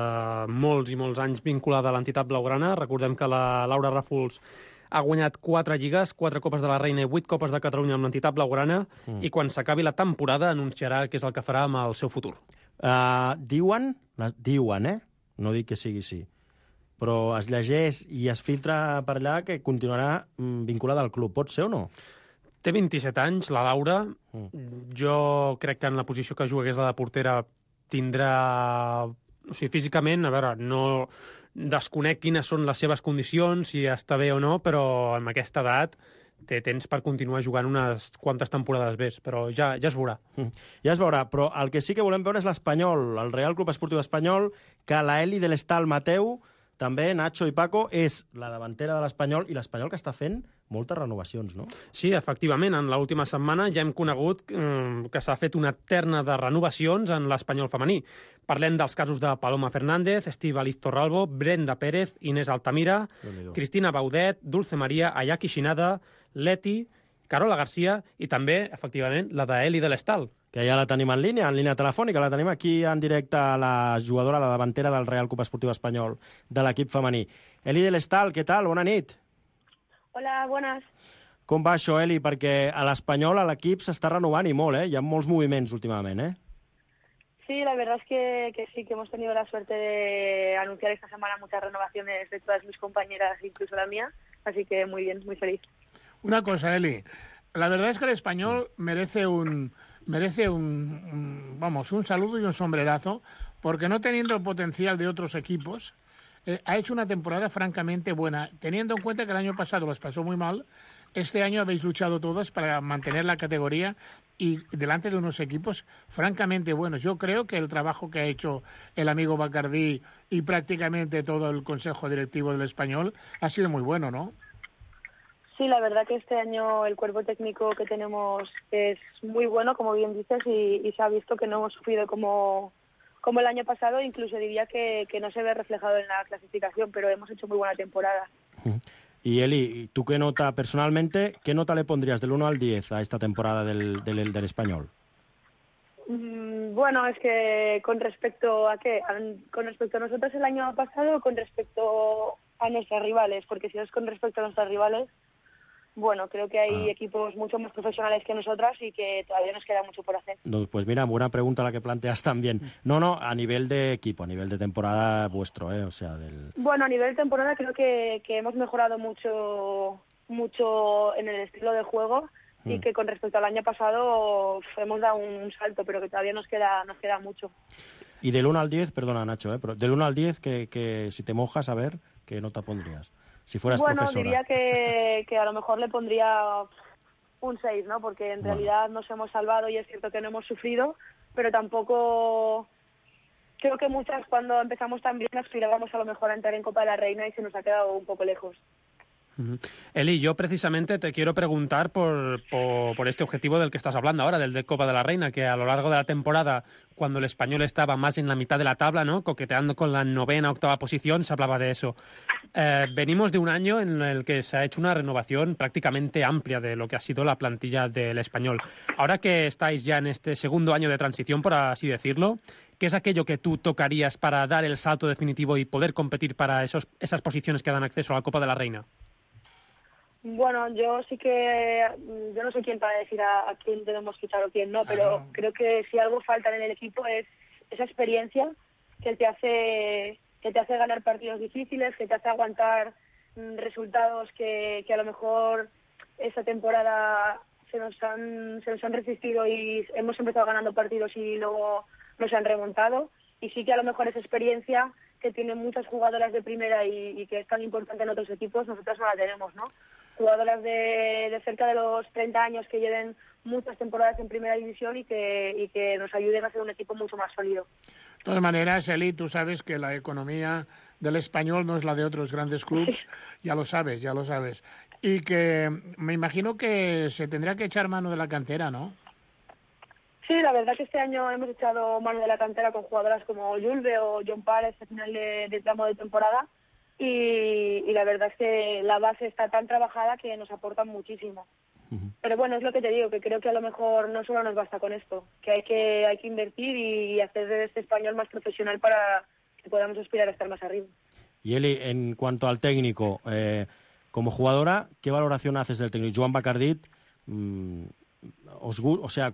Speaker 10: molts i molts anys vinculada a l'entitat blaugrana. Recordem que la Laura Ràfols ha guanyat 4 lligues, 4 Copes de la Reina i 8 Copes de Catalunya amb l'entitat blaugrana i quan s'acabi la temporada anunciarà què és el que farà amb el seu futur.
Speaker 8: Diuen, no dic que sigui així, però es llegeix i es filtra per allà que continuarà vinculada al club. Pot ser o no?
Speaker 10: Té 27 anys, la Laura. Jo crec que en la posició que jugués la de portera tindrà... O sigui, físicament, a veure, no desconec quines són les seves condicions, si està bé o no, però amb aquesta edat té temps per continuar jugant unes quantes temporades més, però ja es veurà.
Speaker 8: Ja es veurà, però el que sí que volem veure és l'Espanyol, el Real Club Esportiu Espanyol, que la Eli de l'Estal Mateu, també, Nacho i Paco, és la davantera de l'Espanyol, i l'Espanyol que està fent moltes renovacions, no?
Speaker 10: Sí, efectivament. En l'última setmana ja hem conegut que s'ha fet una terna de renovacions en l'Espanyol femení. Parlem dels casos de Paloma Fernández, Estíbaliz Torralbo, Brenda Pérez, Inés Altamira, Cristina Baudet, Dulce Maria Ayaki Shinada, Leti, Carola Garcia i també, efectivament, la d'Eli de l'Estal.
Speaker 8: Que ja la tenim en línia telefònica, la tenim aquí en directe a la jugadora, la davantera del Real Club Esportiu Espanyol, de l'equip femení. Eli de l'Estal, què tal? Bona nit.
Speaker 15: Hola, buenas.
Speaker 8: Com va això, Eli? Perquè a l'Espanyol, a l'equip, s'està renovant i molt, Hi ha molts moviments últimament,
Speaker 15: Sí, la verdad es que sí, que hemos tenido la suerte de anunciar esta semana muchas renovaciones de todas mis compañeras, incluso la mía, así que muy bien, muy feliz.
Speaker 9: Una cosa, Eli, la verdad es que el Español merece un saludo y un sombrerazo, porque no teniendo el potencial de otros equipos, ha hecho una temporada francamente buena. Teniendo en cuenta que el año pasado les pasó muy mal, este año habéis luchado todos para mantener la categoría y delante de unos equipos francamente buenos. Yo creo que el trabajo que ha hecho el amigo Bacardí y prácticamente todo el consejo directivo del Español ha sido muy bueno, ¿no?
Speaker 15: Sí, la verdad que este año el cuerpo técnico que tenemos es muy bueno, como bien dices, y se ha visto que no hemos sufrido como el año pasado, incluso diría que no se ve reflejado en la clasificación, pero hemos hecho muy buena temporada.
Speaker 8: Y Eli, ¿tú qué nota, personalmente, qué nota le pondrías del 1 al 10 a esta temporada del Español?
Speaker 15: Bueno, es que con respecto a qué, con respecto a nosotros el año pasado, con respecto a nuestras rivales, porque si es con respecto a nuestras rivales, bueno, creo que hay equipos mucho más profesionales que nosotras y que todavía nos queda mucho por hacer.
Speaker 8: No, pues mira, buena pregunta la que planteas también. No, a nivel de equipo, a nivel de temporada vuestro, o sea, del...
Speaker 15: Bueno, a nivel de temporada creo que hemos mejorado mucho en el estilo de juego y que con respecto al año pasado hemos dado un salto, pero que todavía nos queda mucho.
Speaker 8: Y del 1 al 10, perdona Nacho, pero del 1 al 10, que si te mojas, a ver, ¿qué nota pondrías? Si fueras profesora.
Speaker 15: Bueno, diría que a lo mejor le pondría un 6, ¿no? Porque en realidad nos hemos salvado y es cierto que no hemos sufrido, pero tampoco... Creo que muchas cuando empezamos tan bien aspirábamos a lo mejor a entrar en Copa de la Reina y se nos ha quedado un poco lejos.
Speaker 10: Eli, yo precisamente te quiero preguntar por este objetivo del que estás hablando ahora, del de Copa de la Reina, que a lo largo de la temporada, cuando el Español estaba más en la mitad de la tabla, ¿no?, coqueteando con la 9ª, 8ª posición, se hablaba de eso. Venimos de un año en el que se ha hecho una renovación prácticamente amplia de lo que ha sido la plantilla del Español. Ahora que estáis ya en este segundo año de transición, por así decirlo, ¿qué es aquello que tú tocarías para dar el salto definitivo y poder competir para esas posiciones que dan acceso a la Copa de la Reina?
Speaker 15: Bueno, yo no sé quién para decir a quién debemos quitar o quién no, pero creo que si algo falta en el equipo es esa experiencia que te hace ganar partidos difíciles, que te hace aguantar resultados que a lo mejor esta temporada se nos han resistido y hemos empezado ganando partidos y luego nos han remontado. Y sí que a lo mejor esa experiencia que tienen muchas jugadoras de primera y que es tan importante en otros equipos, nosotras no la tenemos, ¿no? Jugadoras de cerca de los 30 años que lleven muchas temporadas en primera división y que nos ayuden a ser un equipo mucho más sólido.
Speaker 9: De todas maneras, Eli, tú sabes que la economía del Español no es la de otros grandes clubes, ya lo sabes. Y que me imagino que se tendrá que echar mano de la cantera, ¿no?
Speaker 15: Sí, la verdad que este año hemos echado mano de la cantera con jugadoras como Julve o John Pares a final de tramo de temporada y la verdad es que la base está tan trabajada que nos aportan muchísimo. Pero bueno, es lo que te digo, que creo que a lo mejor no solo nos basta con esto, que hay que invertir y hacer de este Español más profesional para que podamos aspirar a estar más arriba.
Speaker 8: Y Eli, en cuanto al técnico, como jugadora, ¿qué valoración haces del técnico? Joan Bacardit, o sea,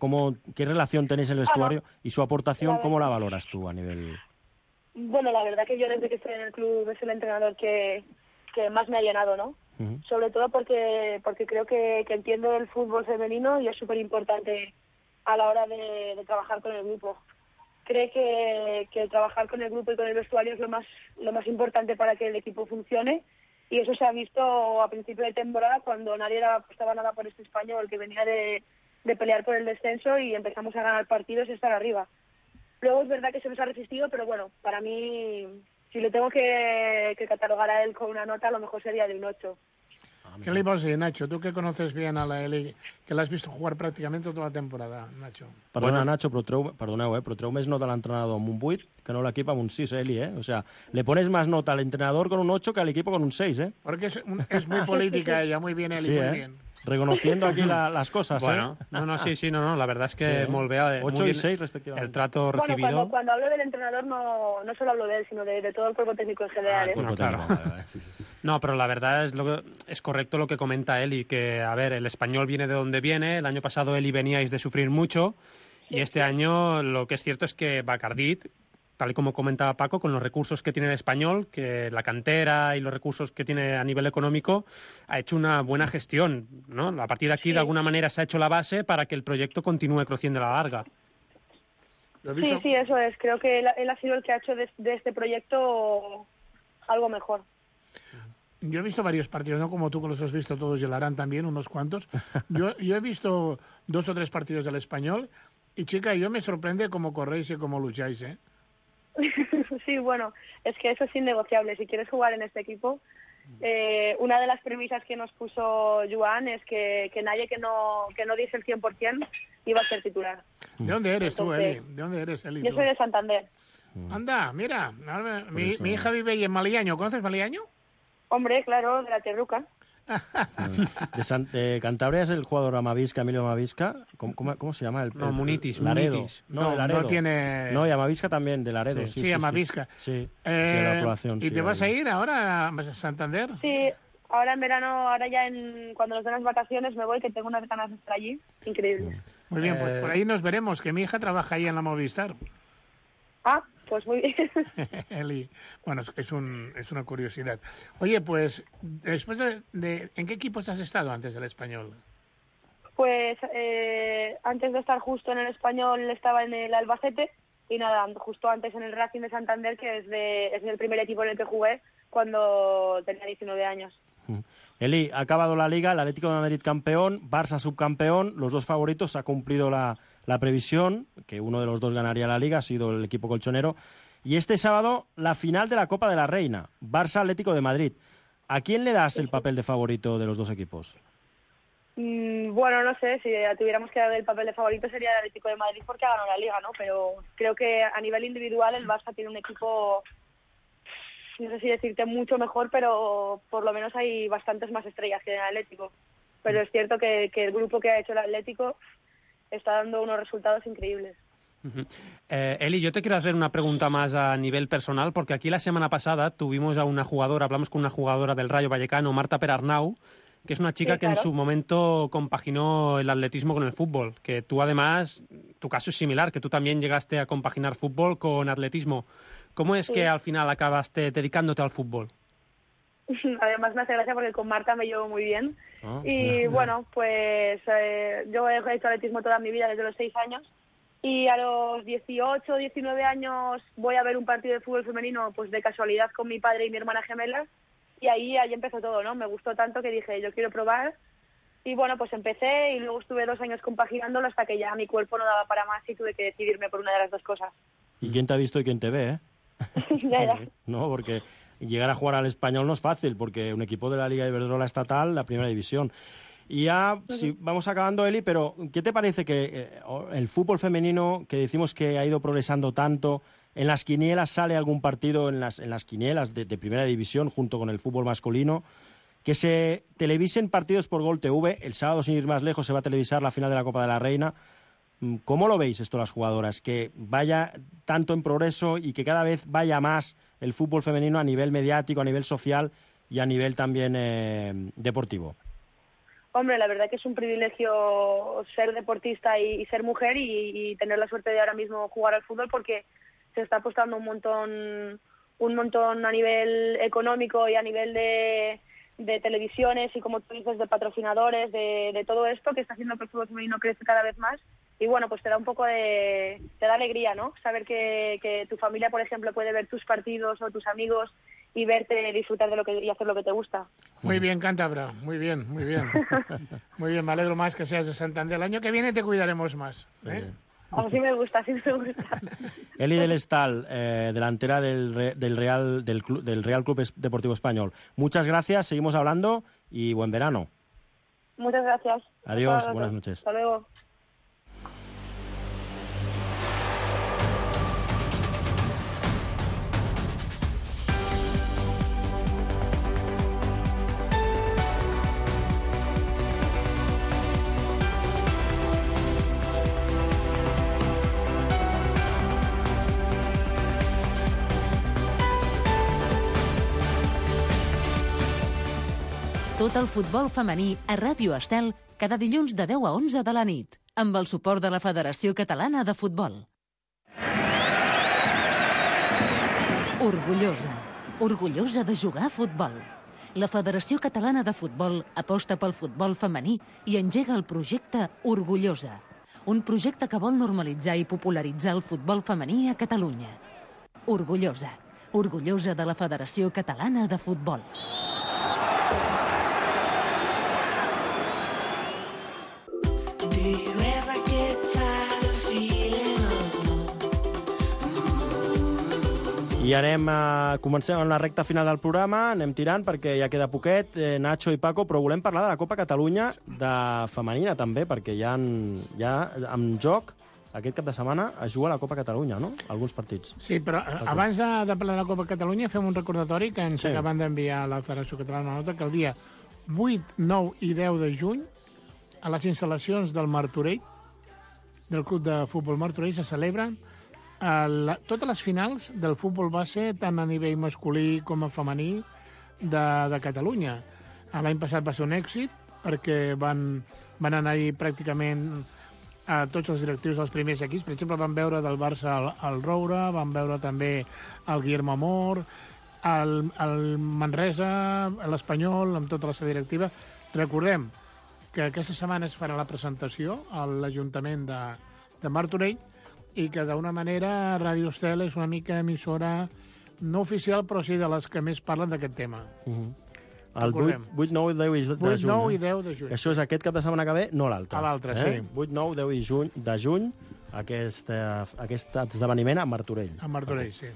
Speaker 8: ¿qué relación tenéis en el vestuario y su aportación, cómo la valoras tú a nivel...?
Speaker 15: Bueno, la verdad que yo desde que estoy en el club es el entrenador que más me ha llenado, ¿no? Sobre todo porque creo que entiendo el fútbol femenino y es súper importante a la hora de trabajar con el grupo. Cree que trabajar con el grupo y con el vestuario es lo más importante para que el equipo funcione y eso se ha visto a principio de temporada cuando nadie apostaba nada por este Español que venía de pelear por el descenso y empezamos a ganar partidos y estar arriba. Luego es verdad que se nos ha resistido, pero bueno, para mí, si le tengo que catalogar a él con una nota, a lo mejor sería de un 8.
Speaker 9: ¿Qué le iba a decir, Nacho? Tú que conoces bien a la Eli, que la has visto jugar prácticamente toda la temporada, Nacho.
Speaker 8: Perdona, Nacho, però treu més nota a l'entrenador amb un 8 que no l'equip amb un 6, Eli, O sea, le pones más nota al entrenador con un 8 que al equipo con un 6,
Speaker 9: Porque es muy política ella, muy bien, Eli,
Speaker 8: sí,
Speaker 9: muy bien.
Speaker 8: Reconociendo aquí las cosas,
Speaker 10: bueno, la verdad es que molt bé.
Speaker 8: 8 y 6 respectivamente.
Speaker 10: El trato recibido.
Speaker 15: Bueno, cuando hablo del entrenador no solo hablo de él, sino de todo el cuerpo técnico en general.
Speaker 10: Claro. No, pero la verdad es correcto lo que comenta Eli, que, a ver, el Español viene de donde viene, el año pasado Eli veníais de sufrir mucho, y este año lo que es cierto es que Bacardit, tal y como comentaba Paco, con los recursos que tiene el Español, que la cantera y los recursos que tiene a nivel económico, ha hecho una buena gestión, ¿no? A partir de aquí, de alguna manera, se ha hecho la base para que el proyecto continúe creciendo a la larga.
Speaker 15: Sí, eso es. Creo que él ha sido el que ha hecho de este proyecto algo mejor.
Speaker 9: Yo he visto varios partidos, no como tú que los has visto todos y el Arán también, unos cuantos. Yo he visto 2 o 3 partidos del Español y, chica, yo me sorprende cómo corréis y cómo lucháis,
Speaker 15: Sí, bueno, es que eso es innegociable. Si quieres jugar en este equipo, una de las premisas que nos puso Joan es que nadie que no diese el 100% iba a ser titular.
Speaker 9: ¿De dónde eres tú, Eli? ¿De dónde eres, Eli?
Speaker 15: Yo soy de Santander.
Speaker 9: Anda, mira, mi hija vive ahí en Maliaño. ¿Conoces Maliaño?
Speaker 15: Hombre, claro, de la Terruca.
Speaker 8: De Cantabria es el jugador Amavisca, Emilio Amavisca. ¿Cómo se llama?
Speaker 10: No, Munitis.
Speaker 8: Laredo.
Speaker 10: Munitis.
Speaker 8: No, Laredo.
Speaker 9: No tiene...
Speaker 8: No, y Amavisca también, de Laredo.
Speaker 9: Sí, Amavisca.
Speaker 8: Sí, la población.
Speaker 9: ¿Y te vas a ir ahora a Santander?
Speaker 15: Sí, ahora en verano, cuando nos den las vacaciones me voy, que tengo unas ganas de estar allí. Increíble.
Speaker 9: Muy bien, pues por ahí nos veremos, que mi hija trabaja ahí en la Movistar.
Speaker 15: Ah, pues muy bien.
Speaker 9: Eli, bueno, es una curiosidad. Oye, pues, después ¿en qué equipos has estado antes del Español?
Speaker 15: Pues antes de estar justo en el Español estaba en el Albacete y nada, justo antes en el Racing de Santander, que es el primer equipo en el que jugué cuando tenía 19 años.
Speaker 8: Eli, ha acabado la Liga, el Atlético de Madrid campeón, Barça subcampeón, los dos favoritos, ha cumplido la previsión, que uno de los dos ganaría la Liga, ha sido el equipo colchonero. Y este sábado, la final de la Copa de la Reina, Barça-Atlético de Madrid. ¿A quién le das el papel de favorito de los dos equipos?
Speaker 15: Bueno, no sé, si tuviéramos que dar el papel de favorito sería el Atlético de Madrid porque ha ganado la Liga, ¿no? Pero creo que a nivel individual el Barça tiene un equipo, no sé si decirte mucho mejor, pero por lo menos hay bastantes más estrellas que en el Atlético. Pero es cierto que el grupo que ha hecho el Atlético está dando unos resultados increíbles.
Speaker 10: Eli, yo te quiero hacer una pregunta más a nivel personal, porque aquí la semana pasada tuvimos a una jugadora, hablamos con una jugadora del Rayo Vallecano, Marta Perarnau, que es una chica que en su momento compaginó el atletismo con el fútbol, que tú además, tu caso es similar, que tú también llegaste a compaginar fútbol con atletismo. ¿Cómo es que al final acabaste dedicándote al fútbol?
Speaker 15: Además me hace gracia porque con Marta me llevo muy bien. Bueno, pues yo he hecho atletismo toda mi vida desde los 6 años y a los 18, 19 años voy a ver un partido de fútbol femenino pues de casualidad con mi padre y mi hermana gemela y ahí empezó todo, ¿no? Me gustó tanto que dije, yo quiero probar y bueno, pues empecé y luego estuve 2 años compaginándolo hasta que ya mi cuerpo no daba para más y tuve que decidirme por una de las dos cosas.
Speaker 8: ¿Y quién te ha visto y quién te ve,
Speaker 15: Ya.
Speaker 8: No, porque llegar a jugar al Español no es fácil, porque un equipo de la Liga Iberdrola estatal, la primera división. Y ya, si vamos acabando, Eli, pero ¿qué te parece que el fútbol femenino, que decimos que ha ido progresando tanto, en las quinielas sale algún partido en las quinielas de primera división junto con el fútbol masculino, que se televisen partidos por Gol TV, el sábado, sin ir más lejos, se va a televisar la final de la Copa de la Reina? ¿Cómo lo veis esto las jugadoras? Que vaya tanto en progreso y que cada vez vaya más el fútbol femenino a nivel mediático, a nivel social y a nivel también deportivo.
Speaker 15: Hombre, la verdad que es un privilegio ser deportista y ser mujer y tener la suerte de ahora mismo jugar al fútbol porque se está apostando un montón a nivel económico y a nivel de televisiones y, como tú dices, de patrocinadores, de todo esto que está haciendo que el fútbol femenino crece cada vez más. Y bueno, pues te da un poco te da alegría, ¿no? Saber que tu familia, por ejemplo, puede ver tus partidos o tus amigos y verte disfrutar y hacer lo que te gusta.
Speaker 9: Muy bien, Cántabra, muy bien. Muy bien, me alegro más que seas de Santander. El año que viene te cuidaremos más.
Speaker 15: Así me gusta.
Speaker 8: Eli del Estal, delantera del Real Club Deportivo Español. Muchas gracias, seguimos hablando y buen verano.
Speaker 15: Muchas gracias.
Speaker 8: Adiós, buenas noches.
Speaker 15: Hasta luego.
Speaker 3: Tot el futbol femení a Ràdio Estel cada dilluns de 10 a 11 de la nit, amb el suport de la Federació Catalana de Futbol. Orgullosa de jugar a futbol. La Federació Catalana de Futbol aposta pel futbol femení i engega el projecte Orgullosa, un projecte que vol normalitzar i popularitzar el futbol femení a Catalunya. Orgullosa de la Federació Catalana de Futbol.
Speaker 8: I comencem amb la recta final del programa, anem tirant perquè ja queda poquet, Nacho i Paco, però volem parlar de la Copa Catalunya de femenina també, perquè ja en joc aquest cap de setmana es juga a la Copa Catalunya, no? Alguns partits.
Speaker 9: Sí, però abans de parlar de la Copa Catalunya fem un recordatori que ens acaben d'enviar a la Federació Catalana una nota que el dia 8, 9 i 10 de juny, a les instal·lacions del Martorell, del Club de Futbol Martorell, se celebren totes les finals del futbol base, tant a nivell masculí com a femení, de Catalunya. L'any passat va ser un èxit, perquè van anar-hi pràcticament a tots els directius dels primers equips. Per exemple, van veure del Barça el Roure, van veure també el Guillermo Amor, el Manresa, l'Espanyol, amb tota la seva directiva. Recordem que aquesta setmana es farà la presentació a l'Ajuntament de Martorell i que d'una manera Ràdio Estel és una mica emissora no oficial, però sí de les que més parlen d'aquest tema.
Speaker 8: El 8, 9 i 10 de juny.
Speaker 9: 8, 9 i 10 de juny.
Speaker 8: Això és aquest cap de setmana que ve, no l'altre.
Speaker 9: A l'altre, sí.
Speaker 8: 8, 9, 10 de juny, aquest esdeveniment a Martorell.
Speaker 9: A Martorell, sí.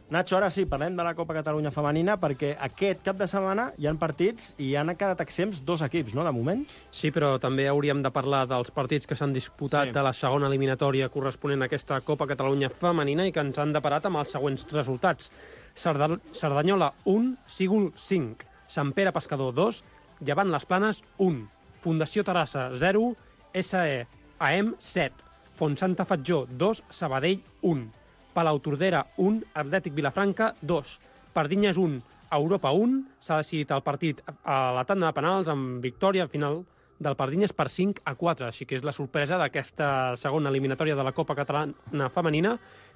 Speaker 8: Nacho, ara sí, parlem de la Copa Catalunya femenina, perquè aquest cap de setmana hi ha partits i han quedat exempts 2 equips, no?, de moment.
Speaker 10: Sí, però també hauríem de parlar dels partits que s'han disputat de la segona eliminatòria corresponent a aquesta Copa Catalunya femenina i que ens han deparat amb els següents resultats. Cerdanyola 1, Sígol 5, Sant Pere Pescador 2, Llevant les Planes 1, Fundació Terrassa 0, SEAM 7, Fontsanta Fatjó 2, Sabadell 1, Palautordera 1, Atlètic Vilafranca 2, Pardinyes 1, Europa 1, s'ha decidit el partit a la tanda de penals amb victòria final del Pardinyes per 5-4, així que és la sorpresa d'aquesta segona eliminatòria de la Copa Catalana femenina,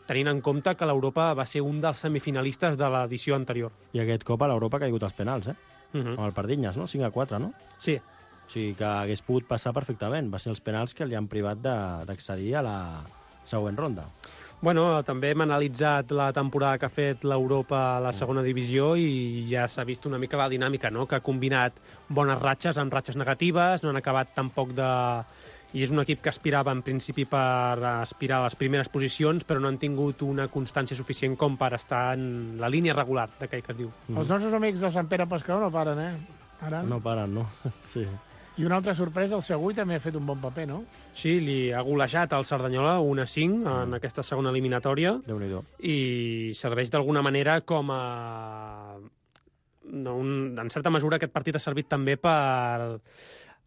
Speaker 10: tenint en compte que l'Europa va ser un dels semifinalistes de l'edició anterior.
Speaker 8: I aquest cop a l'Europa ha caigut als penals, amb el Pardinyes, no? 5-4, no?
Speaker 10: Sí.
Speaker 8: O sigui que hagués pogut passar perfectament. Va ser els penals que li han privat d'accedir a la següent ronda.
Speaker 10: Bueno, també hem analitzat la temporada que ha fet l'Europa a la segona divisió i ja s'ha vist una mica la dinàmica, no?, que ha combinat bones ratxes amb ratxes negatives, no han acabat tampoc de... I és un equip que aspirava en principi per aspirar a les primeres posicions, però no han tingut una constància suficient com per estar en la línia regular d'aquell que es diu.
Speaker 9: Els nostres amics de Sant Pere Pescador no paren, Ara...
Speaker 8: No paren, no? Sí.
Speaker 9: I una altra sorpresa, el Segui també ha fet un bon paper, no?
Speaker 10: Sí, li ha golejat al Cerdanyola 1-5 en aquesta segona eliminatòria.
Speaker 8: Déu-n'hi-do.
Speaker 10: I serveix d'alguna manera com a... En certa mesura aquest partit ha servit també per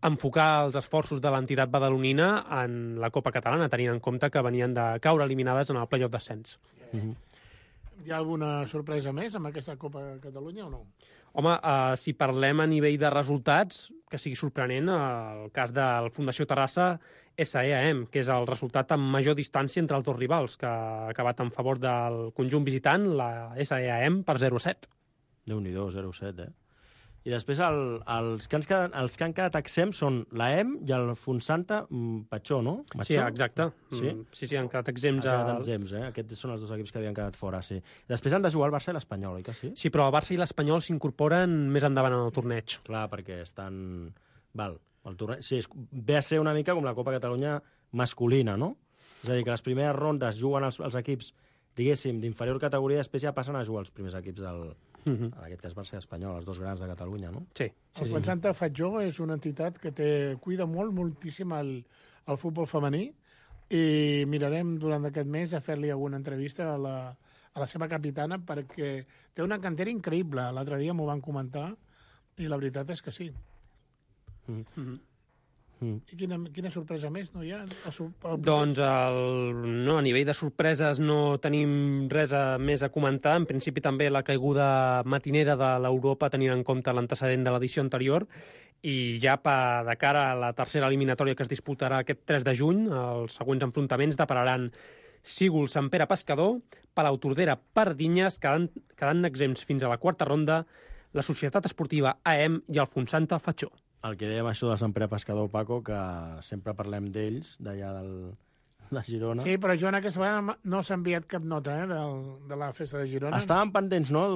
Speaker 10: enfocar els esforços de l'entitat badalonina en la Copa Catalana, tenint en compte que venien de caure eliminades en el play-off d'ascens.
Speaker 9: Hi ha alguna sorpresa més amb aquesta Copa Catalunya o no?
Speaker 10: Home, si parlem a nivell de resultats, que sigui sorprenent, el cas del Fundació Terrassa SEAM, que és el resultat amb major distància entre els dos rivals, que ha acabat en favor del conjunt visitant, la SEAM, per 0-7.
Speaker 8: Déu-n'hi-do, 0-7, I després els que han quedat exempts són l'AEM i el Fontsanta Patxó, no?
Speaker 10: Sí, exacte.
Speaker 8: Sí,
Speaker 10: han quedat exempts.
Speaker 8: Aquests són els 2 equips que havien quedat fora, sí. Després han de jugar el Barça i l'Espanyol, oi que sí?
Speaker 10: Sí, però el Barça i l'Espanyol s'incorporen més endavant en el torneig.
Speaker 8: Clar, perquè estan... el torneig... Sí, ve a ser una mica com la Copa Catalunya masculina, no? És a dir, que les primeres rondes juguen els equips, diguéssim, d'inferior categoria, després ja passen a jugar els primers equips en aquest cas Barça i Espanyol, els 2 grans de Catalunya, no?
Speaker 10: Sí.
Speaker 9: El Fontsanta Fatjó és una entitat que cuida moltíssim el futbol femení i mirarem durant aquest mes a fer-li alguna entrevista a la seva capitana perquè té una cantera increïble. L'altre dia m'ho van comentar i la veritat és que sí. I quina sorpresa més no hi ha?
Speaker 10: Doncs a nivell de sorpreses no tenim res més a comentar. En principi també la caiguda matinera de l'Europa tenint en compte l'antecedent de l'edició anterior i ja de cara a la tercera eliminatòria que es disputarà aquest 3 de juny, els següents enfrontaments depararan Sígol, Sant Pere Pescador, Palautordera, Pardinyes, quedant exempts fins a la 4a ronda, la Societat Esportiva AEM i el Fontsanta Fatjó.
Speaker 8: El que dèiem això de Sant Pere Pescador, Paco, que sempre parlem d'ells, d'allà de Girona.
Speaker 9: Sí, però Joan aquesta vegada no s'ha enviat cap nota de la festa de Girona.
Speaker 8: Estaven pendents, no?,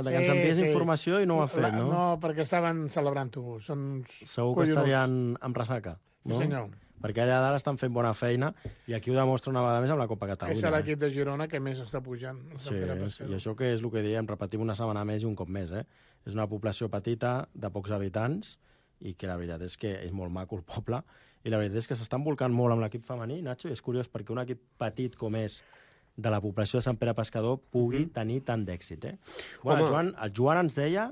Speaker 8: que ens enviés informació i no ho ha fet, no?
Speaker 9: No, perquè estaven celebrant-ho.
Speaker 8: Segur que estarien amb ressaca, no?
Speaker 9: Sí, senyor.
Speaker 8: Perquè allà dalt estan fent bona feina i aquí ho demostra una vegada més amb la Copa Catalunya.
Speaker 9: És l'equip de Girona que més està pujant.
Speaker 8: Sí, i això que és el que diem, repetim una setmana més i un cop més, És una població petita, de pocs habitants, i que la veritat és que és molt maco el poble, i la veritat és que s'estan volcant molt amb l'equip femení, Nacho, i és curiós perquè un equip petit com és de la població de Sant Pere Pescador pugui tenir tant d'èxit, Bueno, el Joan ens deia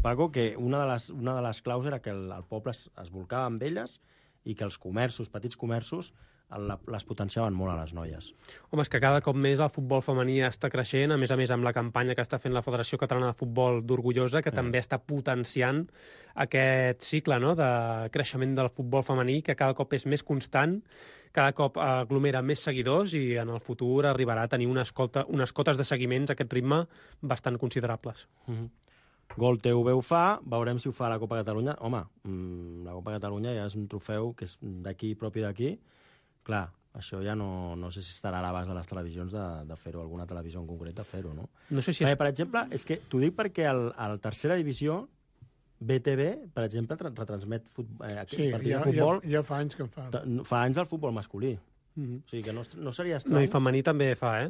Speaker 8: Paco, que una de les claus era que el poble es volcava amb elles i que els comerços, petits comerços, les potenciaven molt a les noies.
Speaker 10: Home, és que cada cop més el futbol femení està creixent, a més amb la campanya que està fent la Federació Catalana de Futbol d'Orgullosa, que també està potenciant aquest cicle, no?, de creixement del futbol femení, que cada cop és més constant, cada cop aglomera més seguidors i en el futur arribarà a tenir unes cotes de seguiments a aquest ritme bastant considerables.
Speaker 8: Gol TV ho fa, veurem si ho fa la Copa Catalunya. Home, la Copa Catalunya ja és un trofeu que és d'aquí, propi d'aquí. Clar, això ja no sé si estarà a l'abast de les televisions de fer-ho, alguna televisió en concret de fer-ho, no?
Speaker 10: No sé si
Speaker 8: per exemple, és que t'ho dic perquè a tercera divisió BTV, per exemple, retransmet partits de futbol.
Speaker 9: Ja fa anys que en fa.
Speaker 8: Fa anys del futbol masculí. O sigui que no seria estrany.
Speaker 10: No, i femení també fa,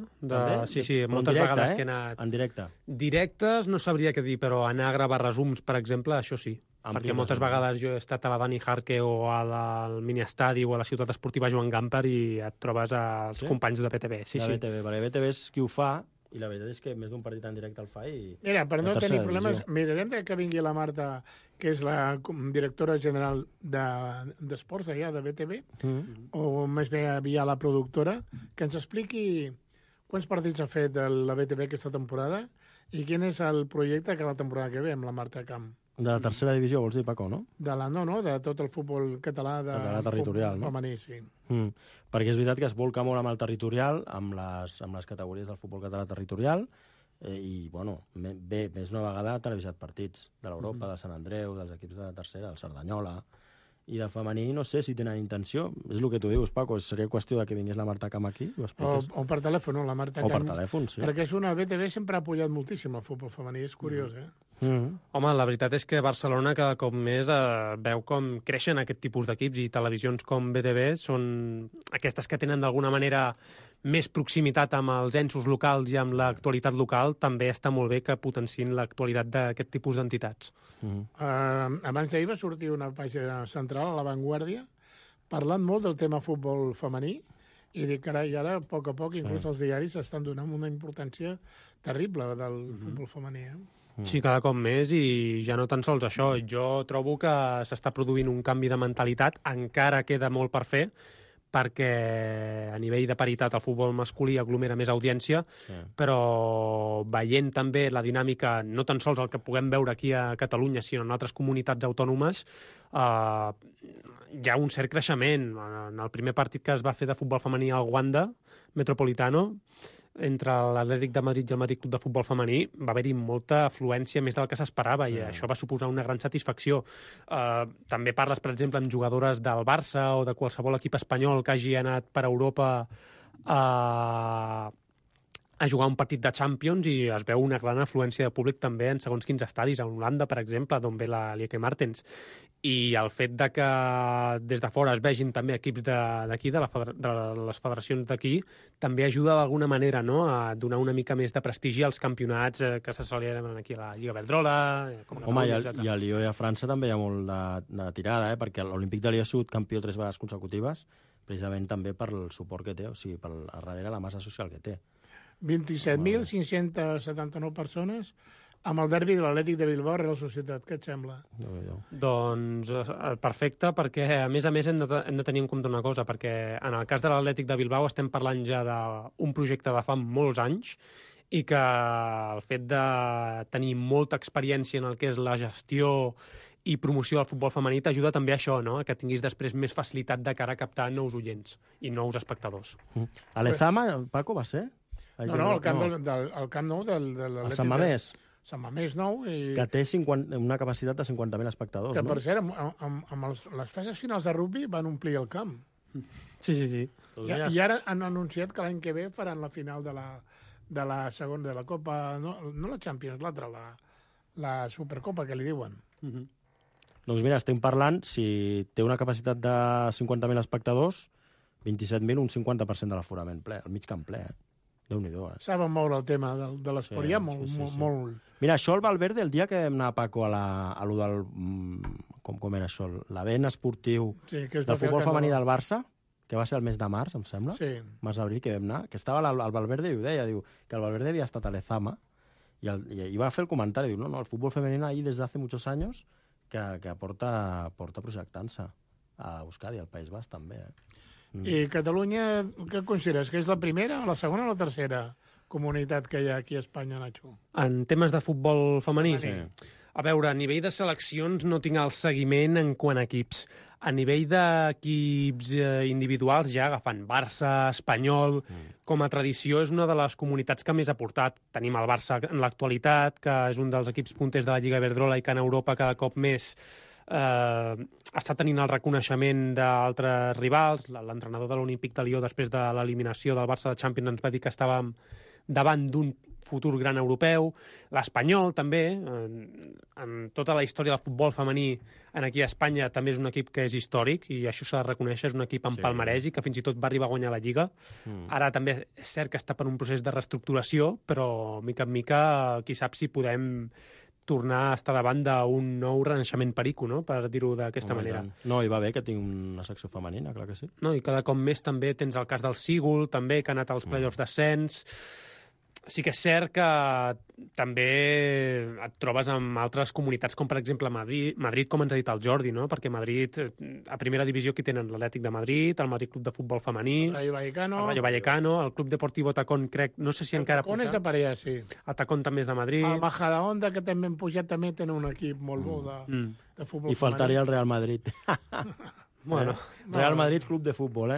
Speaker 10: Sí, moltes vegades que he anat...
Speaker 8: En directe.
Speaker 10: Directes no sabria què dir, però anar a gravar resums, per exemple, això sí. Perquè moltes vegades jo he estat a la Dani Jarque o al mini-estadi o a la ciutat esportiva Joan Gamper i et trobes els companys de BTV. Sí,
Speaker 8: sí. Perquè BTV és qui ho fa, i la veritat és que més d'un partit en directe el fa i...
Speaker 9: Mira, per no tenir problemes, mirarem que vingui la Marta, que és la directora general d'esports allà de BTV, o més bé havia la productora, que ens expliqui quants partits ha fet la BTV aquesta temporada i quin és el projecte que la temporada que ve amb la Marta Camp.
Speaker 8: De la tercera divisió, vols dir, Paco, no?
Speaker 9: De tot el futbol català
Speaker 8: territorial,
Speaker 9: no? Femení, sí.
Speaker 8: Perquè és veritat que es volca molt amb el territorial, amb les categories del futbol català territorial, i, bueno, més una vegada ha televisat partits de l'Europa, de Sant Andreu, dels equips de tercera, del Cerdanyola, i de femení no sé si tenen intenció. És el que tu dius, Paco, seria qüestió de que vingués la Marta Camp aquí.
Speaker 9: O per telèfon, la Marta Camp.
Speaker 8: O per telèfon, sí.
Speaker 9: Perquè és una BTV sempre ha apoyat moltíssim el futbol femení, és curiós,
Speaker 10: Home, la veritat és que Barcelona cada cop més veu com creixen aquest tipus d'equips i televisions com BTV són aquestes que tenen d'alguna manera més proximitat amb els ensos locals i amb l'actualitat local. També està molt bé que potenciïn l'actualitat d'aquest tipus d'entitats.
Speaker 9: Abans d'ahir va sortir una pàgina central a La Vanguardia parlant molt del tema futbol femení i dic, carai, ara, a poc, inclús els diaris estan donant una importància terrible del futbol femení,
Speaker 10: Sí, cada cop més, i ja no tan sols això. Jo trobo que s'està produint un canvi de mentalitat, encara queda molt per fer, perquè a nivell de paritat el futbol masculí aglomera més audiència, però veient també la dinàmica, no tan sols el que puguem veure aquí a Catalunya, sinó en altres comunitats autònomes, hi ha un cert creixement. En el primer partit que es va fer de futbol femení al Wanda Metropolitano, entre l'Atlètic de Madrid i el Madrid Club de Futbol Femení, va haver-hi molta afluència més del que s'esperava i això va suposar una gran satisfacció. També parles, per exemple, amb jugadores del Barça o de qualsevol equip espanyol que hagi anat per Europa a jugar un partit de Champions i es veu una gran afluència de públic també en segons quins estadis, a Holanda, per exemple, d'on ve la Lieke Martens. I el fet de que des de fora es vegin també equips d'aquí, de les federacions d'aquí, també ajuda d'alguna manera, no?, a donar una mica més de prestigi als campionats que se celebren aquí a la Lliga Iberdrola...
Speaker 8: Home, i a Lió i a França també hi ha molt de tirada, perquè l'Olímpic de Lió ha sigut campió 3 vegades consecutives, precisament també per el suport que té, o sigui, per darrere la massa social que té.
Speaker 9: 27.579 persones amb el derbi de l'Atlètic de Bilbao Real Societat. Què et sembla?
Speaker 10: Doncs perfecte, perquè a més hem de tenir en compte una cosa, perquè en el cas de l'Atlètic de Bilbao estem parlant ja d'un projecte de fa molts anys i que el fet de tenir molta experiència en el que és la gestió i promoció del futbol femení t'ajuda també a això, no?, que tinguis després més facilitat de cara a captar nous oients i nous espectadors.
Speaker 8: A l'Ezama, Paco, va ser?
Speaker 9: No, el Camp Nou de l'Atlètic.
Speaker 8: El Sant Mamés.
Speaker 9: Sant Mamés nou.
Speaker 8: Que té una capacitat de 50.000 espectadors.
Speaker 9: Que, per cert, amb les fases finals de rugby van omplir el camp.
Speaker 10: Sí.
Speaker 9: I ara han anunciat que l'any que ve faran la final de la segona, de la Copa, no la Champions, l'altra, la Supercopa, que li diuen.
Speaker 8: Doncs mira, estem parlant, si té una capacitat de 50.000 espectadors, 27.000, un 50% de l'aforament ple, el mig camp ple, Déu-n'hi-do,
Speaker 9: Saben moure el tema de l'esport, ja molt...
Speaker 8: Mira, això el Valverde, el dia que vam anar, Paco, a lo del... Com era això? L'event esportiu del futbol femení del Barça, que va ser el mes de març, em sembla, març-abril, que vam anar, que estava el Valverde i ho deia, diu que el Valverde havia estat a l'Ezama i va fer el comentari, diu, no, el futbol femenino ahí desde hace muchos años que porta projectant-se a Euskadi, al País Basc també.
Speaker 9: I Catalunya, què consideres? Que és la primera, la segona o la tercera comunitat que hi ha aquí a Espanya, Nacho?
Speaker 10: En temes de futbol femení?
Speaker 9: Sí.
Speaker 10: A veure, a nivell de seleccions no tinc el seguiment en quant a equips. A nivell d'equips individuals, ja agafant Barça, Espanyol, com a tradició és una de les comunitats que més ha portat. Tenim el Barça en l'actualitat, que és un dels equips punters de la Lliga Iberdrola i que en Europa cada cop més està tenint el reconeixement d'altres rivals. L'entrenador de l'Olímpic de Lió, després de l'eliminació del Barça de Champions, ens va dir que estàvem davant d'un futur gran europeu. L'Espanyol, també, en tota la història del futbol femení aquí a Espanya, també és un equip que és històric, i això s'ha de reconèixer, és un equip amb palmarès i que fins i tot va arribar a guanyar la Lliga. Ara també és cert que està per un procés de reestructuració, però mica en mica, qui sap si podem tornar a estar davant d'un nou renaixement perico, no?, per dir-ho d'aquesta manera.
Speaker 8: No, i va bé que tingui una secció femenina, clar que sí.
Speaker 10: No, i cada cop més també tens el cas del Sigul, també, que ha anat als play-offs d'ascens. Sí que és cert que també et trobes amb altres comunitats, com per exemple Madrid, com ens ha dit el Jordi, no? Perquè Madrid, a primera divisió, aquí tenen l'Atlètic de Madrid, el Madrid Club de Futbol Femení,
Speaker 9: el
Speaker 10: Rayo Vallecano, el Club Deportivo Tacón, crec, no sé si encara...
Speaker 9: Tacón és de Parella, sí.
Speaker 10: El Tacón també és de Madrid.
Speaker 9: El Majadahonda, que també han pujat, també tenen un equip molt bo de futbol femení.
Speaker 8: I faltaria el Real Madrid.
Speaker 10: Bueno,
Speaker 8: Real Madrid Club de Futbol,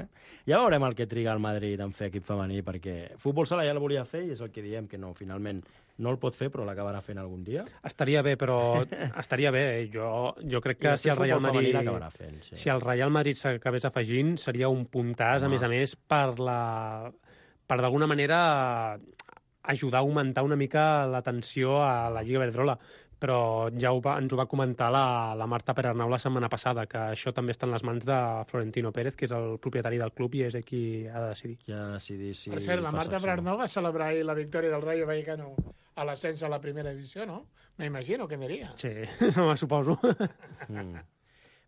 Speaker 8: Ja veurem el que triga el Madrid en fer equip femení, perquè futbol sala ja el volia fer i és el que diem, que no, finalment no el pot fer, però l'acabarà fent algun dia.
Speaker 10: Estaria bé, però estaria bé. Jo crec que si el Real Madrid si el Real Madrid s'acabés afegint, seria un puntàs, a més, per d'alguna manera ajudar a augmentar una mica l'atenció a la Lliga Iberdrola. Però ja ens ho va comentar la Marta Perarnau la setmana passada, que això també està en les mans de Florentino Pérez, que és el propietari del club i és qui ha de decidir.
Speaker 8: Qui ha de decidir si...
Speaker 9: Per cert, la Marta Perarnau va celebrar ahir la victòria del Rayo Vallecano a l'ascens a la primera divisió, ¿no? Me imagino que aniria.
Speaker 10: Sí, me suposo.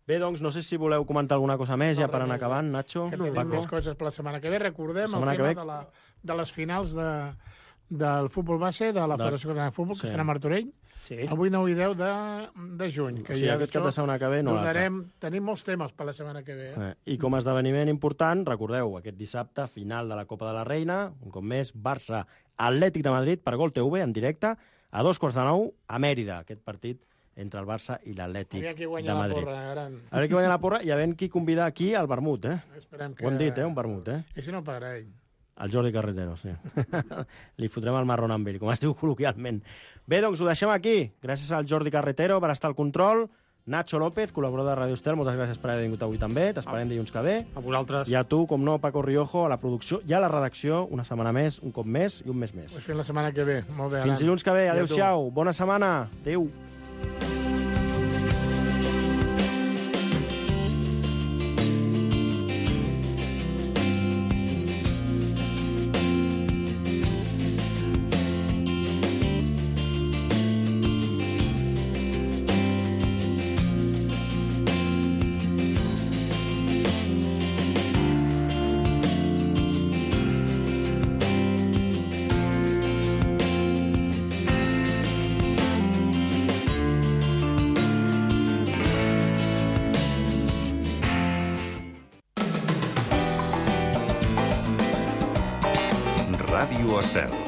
Speaker 8: Bé, doncs, no sé si voleu comentar alguna cosa més, ja per anar acabant, Nacho.
Speaker 9: Que tenim més coses per la setmana que ve. Recordem el tema de les finals del futbol base, de la Federació Catalana de Futbol, que serà a Martorell.
Speaker 10: Sí.
Speaker 9: Avui 9 i 10 de juny.
Speaker 8: Que ja aquest cap de setmana que ve no
Speaker 9: tenim molts temes per la setmana que ve.
Speaker 8: I com a esdeveniment important, recordeu, aquest dissabte, final de la Copa de la Reina, un cop més, Barça, Atlètic de Madrid, per Gol TV, en directe, a 8:45, a Mèrida, aquest partit entre el Barça i l'Atlètic de Madrid.
Speaker 9: A veure qui guanya la porra.
Speaker 8: A veure qui guanya la porra i a veure qui convida aquí al vermut,
Speaker 9: Esperem que...
Speaker 8: Ho hem dit, un vermut,
Speaker 9: I si no pagarà ell.
Speaker 8: El Jordi Carretero, sí. Li fotrem el marrón amb ell, com es diu col·loquialment. Bé, doncs ho deixem aquí. Gràcies al Jordi Carretero per estar al control. Nacho López, col·laborador de Radio Estel, moltes gràcies per haver vingut avui també. T'esperem dilluns que ve.
Speaker 10: A vosaltres.
Speaker 8: I a tu, com no, Paco Riojo, a la producció i a la redacció, una setmana més, un cop més i un mes més.
Speaker 9: Pues fins la setmana que ve. Molt bé,
Speaker 8: Fins dilluns que ve. Adéu-siau. Bona setmana. Adéu.
Speaker 1: Ràdio Estel.